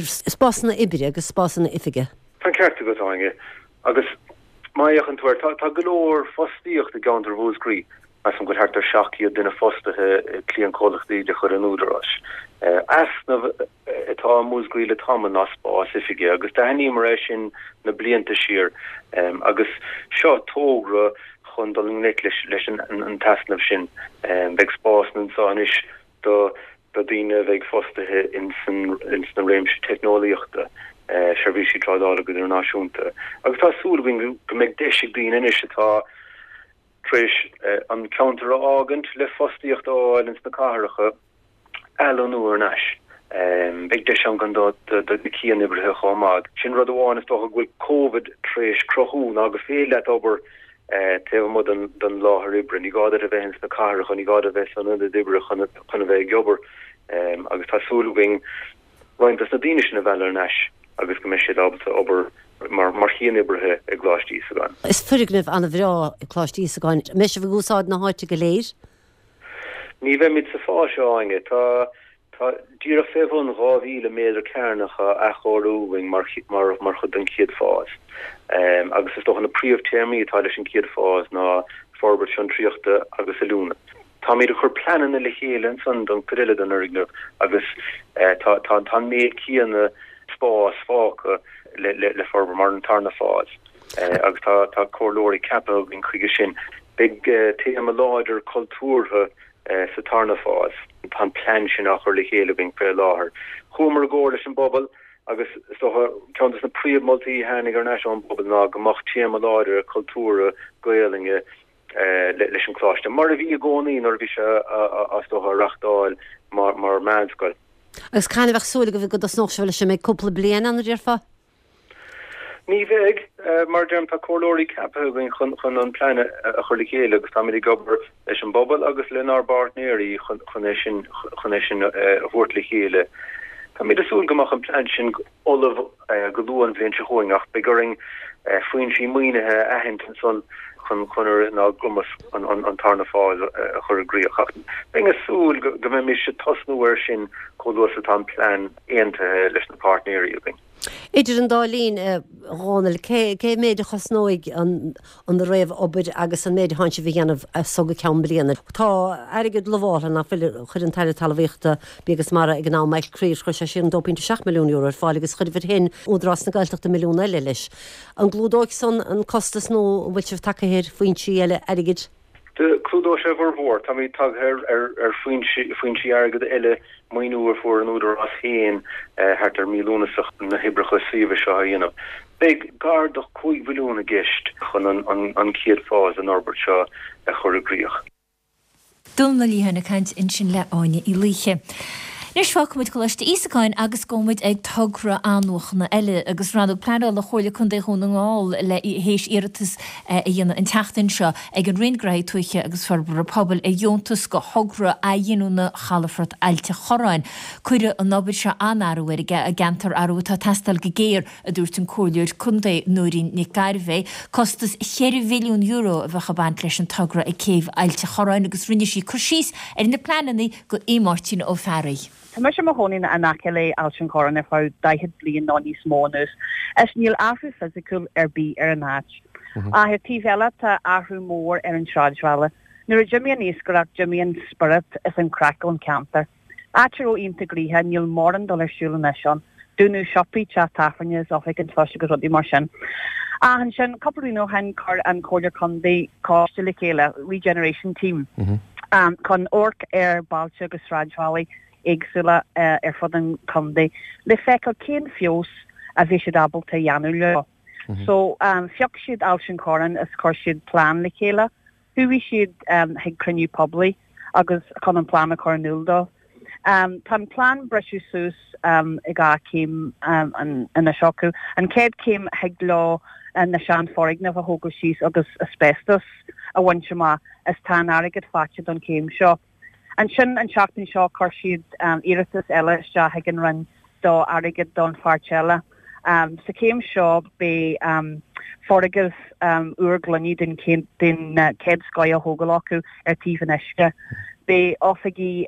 S12: spásanna oibre agus spásanna oifige.
S11: Tá an ceart agat, Áine. Agus má fhéachann tú air, tá tá go leor fostaíocht i gceantar Mhúscraí. Measaim go bhfuil thart ar seacht gcéad duine fostaithe i gcliantchomhlachtaí de chuid an Údaráis. Easnamh atá i Múscraí le tamall ná spás oifige agus d'aithníomar é sin na blianta siar agus seo togra chun dul i ngleic leis leis an t-easnamh sin. Beidh spásanna anseo anois do do dhaoine a bheidh fostaithe ins na réimse teicneolaíochta, seirbhísí trádála go hidirnáisiúnta agus tá súil againn go mbeidh deis ag daoine anois atá tar éis an ceantar a fhágaint le fostaíocht a fháil ins na cathracha athlonnú thar n-ais. Beidh deis ann gan dabht do na cianoibrithe chomh maith. Sin rud amháin is dócha go bhfuil Covid tar éis cruthú ná gur féidir leat obair taobh amuigh den láthair oibre. Ní gá duit a bheith ins na cathracha, ní gá duit a bheith san ionad oibre chun a bheith ag obair agus tá súil againn roinnt dos na daoine sin a mhealladh thar n-ais agus go mbeidh siad ábalta obair mar chianoibrithe i gColáiste Íosagáin.
S12: Is foirgneamh an-bhreá é Coláiste Íosagáin. An mbeidh sibh ag úsáid na háite go léir?
S11: Ní bheimid sa fás seo, Áine. Tá Tá díreach fé bhun dhá mhíle méadar cearnach á athchóiriú againn mar mar chuid den chéad fás agus is dócha na príomh-téarmaí atá leis an chéad fás ná forbairt fiontraíochta agus oiliúna. Táimid ag cur pleananna le chéile ansan don chuid eile den fhoirgneamh agus tá tá tá an méid céanna spáis fágtha le le le forbairt mar an tarna fás agus tá tá comhairleoirí ceaptha againn chuige sin. Beidh téama láidir cultúrtha sa tarna fás. Tá an plean sin á chur le chéile againn faoi láthair. Chuamar i gcomhairle leis an bpobal agus is dócha ceann de na príomh-mholtaí a tháinig thar n-ais ón bpobal ná go mbeadh téama láidir cultúrtha Gaelainne leis an gcoláiste, mar a bhí i gcónaí nuair a bhí sé is dócha á reachtáil mar mheánscoil.
S12: Agus cathain a bheadh súil agaibh go dtosnódh sibh leis? An mbeidh cúpla bliain ann, a déarfá?
S11: Ní bheidh. Mar a deirim, tá comhairleoirí ceaptha againn chun an plean a chur le chéile agus táimid ag obair leis an bpobal agus lenár bpáirtnéirí chun é sin chun é sin a thabhairt le chéile. Táimid ag súil go mbeadh an plean sin ullamh go luath an bhliain seo chugainn ach beidh orainn foinsí maoinithe a aithint ansan chun chun ar ár gcumas an tarna fáis a chur i gcrích. Ach bheinn ag súil go mbeimis ag tosnú air sin chomh luath is atá an plean aontaithe leis na páirtnéirí againn.
S12: Idir an dá linn, a Dhónaill, cé cé méid a chosnóidh an an réamhobair agus an méid a thánn sibh a dhéanamh as so go ceann bliana? Tá airgead lamháltha nach bhfuil, chuir an tAire Talmhaíochta, Bia agus Mara ag an am, Michael Creed, chuir sé sin dó pointe seacht milliún euro ar fáil agus chuir shin Údarás na Gaeltachta milliún eile leis. An gclúdóidh san an costas nó an bhfuil sibh tagtha ar foinsí eile airgid?
S11: Clúdóidh sé a bhformhór. Táimid tagtha ar foinsí airgid eile, maoiniú a fuair an Údarás féin thart ar mí Lúnasa chun na hoibreacha suíomh seo a dhéanamh. Beidh gar do cúig mhilliún i gceist chun an chéad fás den fhorbairt seo a chur i gcrích.
S1: Dónal Ó Liatháin ag caint ansin le Áine Uí Laoithe. Anois fágfaimid Coláiste Íosagáin agus gabhfaimid ag togra athnuachana eile agus Rannóg Pleanála Chomhairle Contae Dhún na nGall le théis iarratas a dhéanamh an tseachtain seo ag an Roinn Gnóthaí Tuaithe agus Forbartha Pobail ar dheontas go thogra athghiniúna Chalafort Ailt an Chorráin. Cuirfidh an obair seo an-athrú ar an gceantar athrú atá ag teastáil go géar, a dúirt an Comhairleoir Contae Nóirín Nic Gairbheith. Costas cheithre mhilliún euro a bheadh ag baint leis an togra ag céibh Ailt an Chorráin agus rinne sí cur síos ar na pleananna go Aodh Máirtín Ó Fearraigh.
S13: Tá mise i mo chónaí in aice le Ailt an Chorráin ar feadh daichead bliain nó níos mó anois is níl athrú fisiciúil ar bith ar an áit. Ach ar taobh eile tá athrú mór ar an sráidbhaile. Nuair a d'imigh an iascaireacht d'imigh an spiorad is an craic ón ceantar. Áit a raibh iontach gnoitheach níl mórán dul ar siúl anois ann. Dúnadh siopaí, teach tábhairne is oifig an phoist agus rudaí mar sin. Ach ansin cúpla bliain ó shin chuir an Comhairle Contae coiste le chéile, Regeneration Team, chun amharc ar bailte agus sráidbhailí éagsúla ar fud an chontae le feiceáil cén feabhas a bhí siad ábalta a dhéanamh leo. So phioc siad Ailt an Chorráin is chuir siad plean le chéile. Chuaigh siad chuig cruinniú poiblí agus chun an plean a chur in iúl dóibh. Tá an plean briste suas i dhá chéim anois acu. An chéad chéim thig leo na seanfhoirgnimh a thógáil síos agus asbestos a bhaint amach is tá an airgead faighte don chéim seo. Ansin an tseachtain seo chuir siad iarratas eile isteach ag an Roinn do airgead don pháirt eile. Sa chéim seo beidh foirgneamh úr gloine den chéad scoth á thógáil acu ar taobh an uisce. Beidh oifigí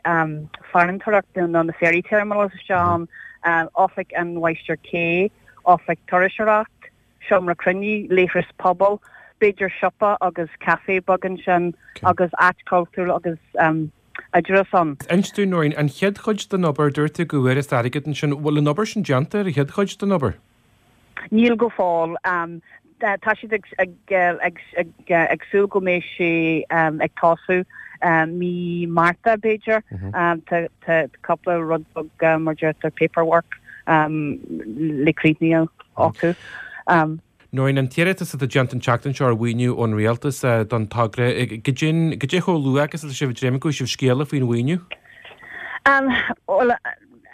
S13: farantóireachta nó na ferry terminals isteach ann, oifig an mháistir cé, oifig turasóireacht, seomra cruinnithe, leithreas pobail, b'fhéidir siopa agus café beag ansin agus áit cultúir agus oideachais ann.
S5: Inis dúinn, Nóirín, an chéad chuid den obair, dúirt tú go bhfuarthas airgead ansin, bhfuil an obair sin déanta ar an chéad chuid den obair?
S13: Níl go fóill. Tá siad ag súil go mbeidh sé ag tosú mí Márta, b'fhéidir. Tá cúpla rud beag, mar deirtear, paperwork le críochnú acu.
S5: Nóirín, an t-iarratas atá déanta an tseachtain seo ar mhaoiniú ón Rialtas don togra, goidé chomh luath agus atá sibh ag dréim go bhfaighidh sibh scéala faoin mhaoiniú?
S13: Bhuel,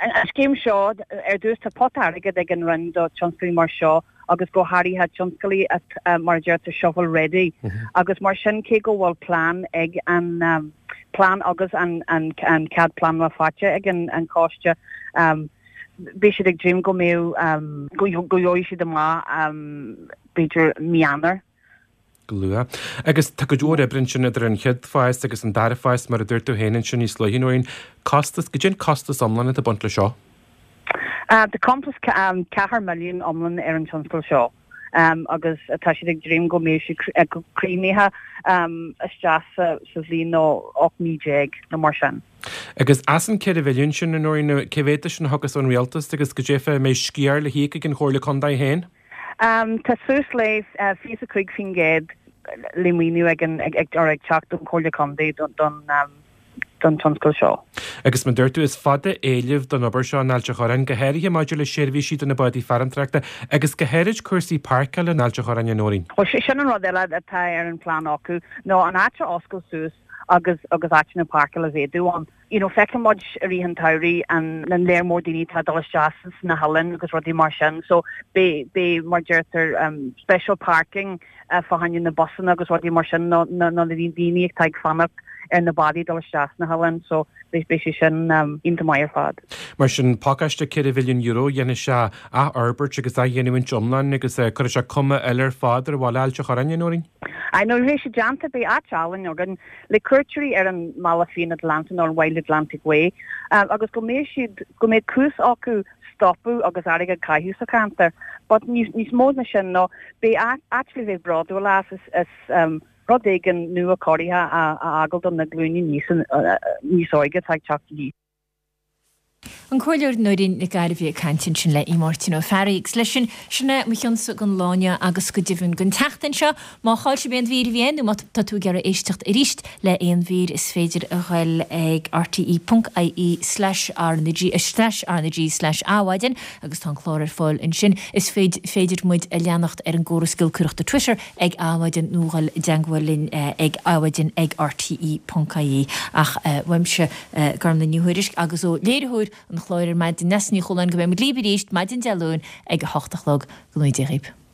S13: an scéim seo, ar dtús tá pota airgid ag an Roinn do tionscadail mar seo agus go háirithe tionscadail atá, mar a deirtear, shovel ready agus mar sin cé go bhfuil plean ag an plean agus an cead pleanála faighte ag an choiste, Beidh siad ag dréim go mbeidh, go gheobhaidh siad amach b'fhéidir mí Eanáir.
S5: Go luath. Agus tá cuid mhór oibre ansin idir an chéad phás agus an dara fás, mar a dúirt tú féin ansin níos luaithe, Nóirín. Costas, goidé an costas iomlán atá ag baint leis seo?
S13: Tá costas ceathair milliún iomlán ar an tionscal seo. agus tá siad ag dréim go mbeidh sé críochnaithe isteach sa bhliain nó ocht mí déag nó mar sin.
S5: Agus as an ceithre mhilliún sin, a Nóirín, cé mhéad de sin a thiocfas ón Rialtas agus goidé fá a mbeidh sciar le híoc ag an Chomhairle Contae féin?
S13: Tá suas le fiche is a cúig faoin gcéad le maoiniú ag an ag teacht ón Chomhairle Contae don don tionscal seo.
S5: Agus mar dúirt tú, is fada éileamh don obair seo in Ailt an Chorráin, go háirithe maidir le seirbhísí do na bádaí farantóireachta agus go háirid cúrsaí páirceála in Ailt an Chorráin, a Nóirín.
S13: Bhuel, sin an rud eile atá ar an phlean acu, ná an áit a oscailt suas agus agus áiteanna páirceála a mhéadú ann. You know, feiceann muid i rith an tsamhraidh an an léar mór daoine atá ag dul isteach sna hoileáin agus rudaí mar sin, so beidh beidh mar deirtear special parking fá choinne na busanna agus rudaí mar sin nó na daoine atá ag fanacht ar na bádaí dul isteach sna hoileáin so beidh sé sin iontach maith ar fad.
S14: Mar sin, pacáiste ceithre mhilliún euro, dhéanfaidh sé athfhorbairt agus athdhéanamh iomlán agus cuirfidh sé cuma eile ar fad ar bhaile Ailt an Chorráin, a Nóirín.
S13: Aye, nuair a bheidh sé déanta beidh áit álainn againn le cuairteoirí ar an mBealach Fiáin Atlantach nó an Wild Atlantic Way agus go mbeidh siad, go mbeidh cúis acu stopadh agus airgead a chaitheamh sa cheantar. But níos, níos mó ná sin nó beidh áit le bheith bródúil as is, is um, rud éigin nua cóirithe a, a fhágáil do na glúine níos, níos óige atá ag teacht aníos.
S1: An Comhairleoir Nóirín Nic Gairbhí ag caint ansin le Máirtín Ó Fearraigh. Agus leis sin, sin é mo chionsa don lá inniu agus go deimhin don tseachtain seo. Má chaill sibh aon mhír a bhí ann nó má tá tú ag iarraidh éisteacht arís le aon mhír is féidir a ghoil ag rte.ie slash rnag slash rnag slash adhmhaidin agus tá an clár ar fáil ansin. Is féidir muid a leanacht ar an gcóras giolcaireachta Twitter ag adhmhaidin nó dhul i dteagmháil linn ag adhmhaidin ag rte.ie. Ach uaimse Gormlaith Ní Thuairisg agus ó léiritheoir an chláir ar maidin Neasa Ní Chualáin go mbeidh muid libh arís maidin Dé Luain ag a hocht a chlog. Go ngnóthaí Dia dhaoibh.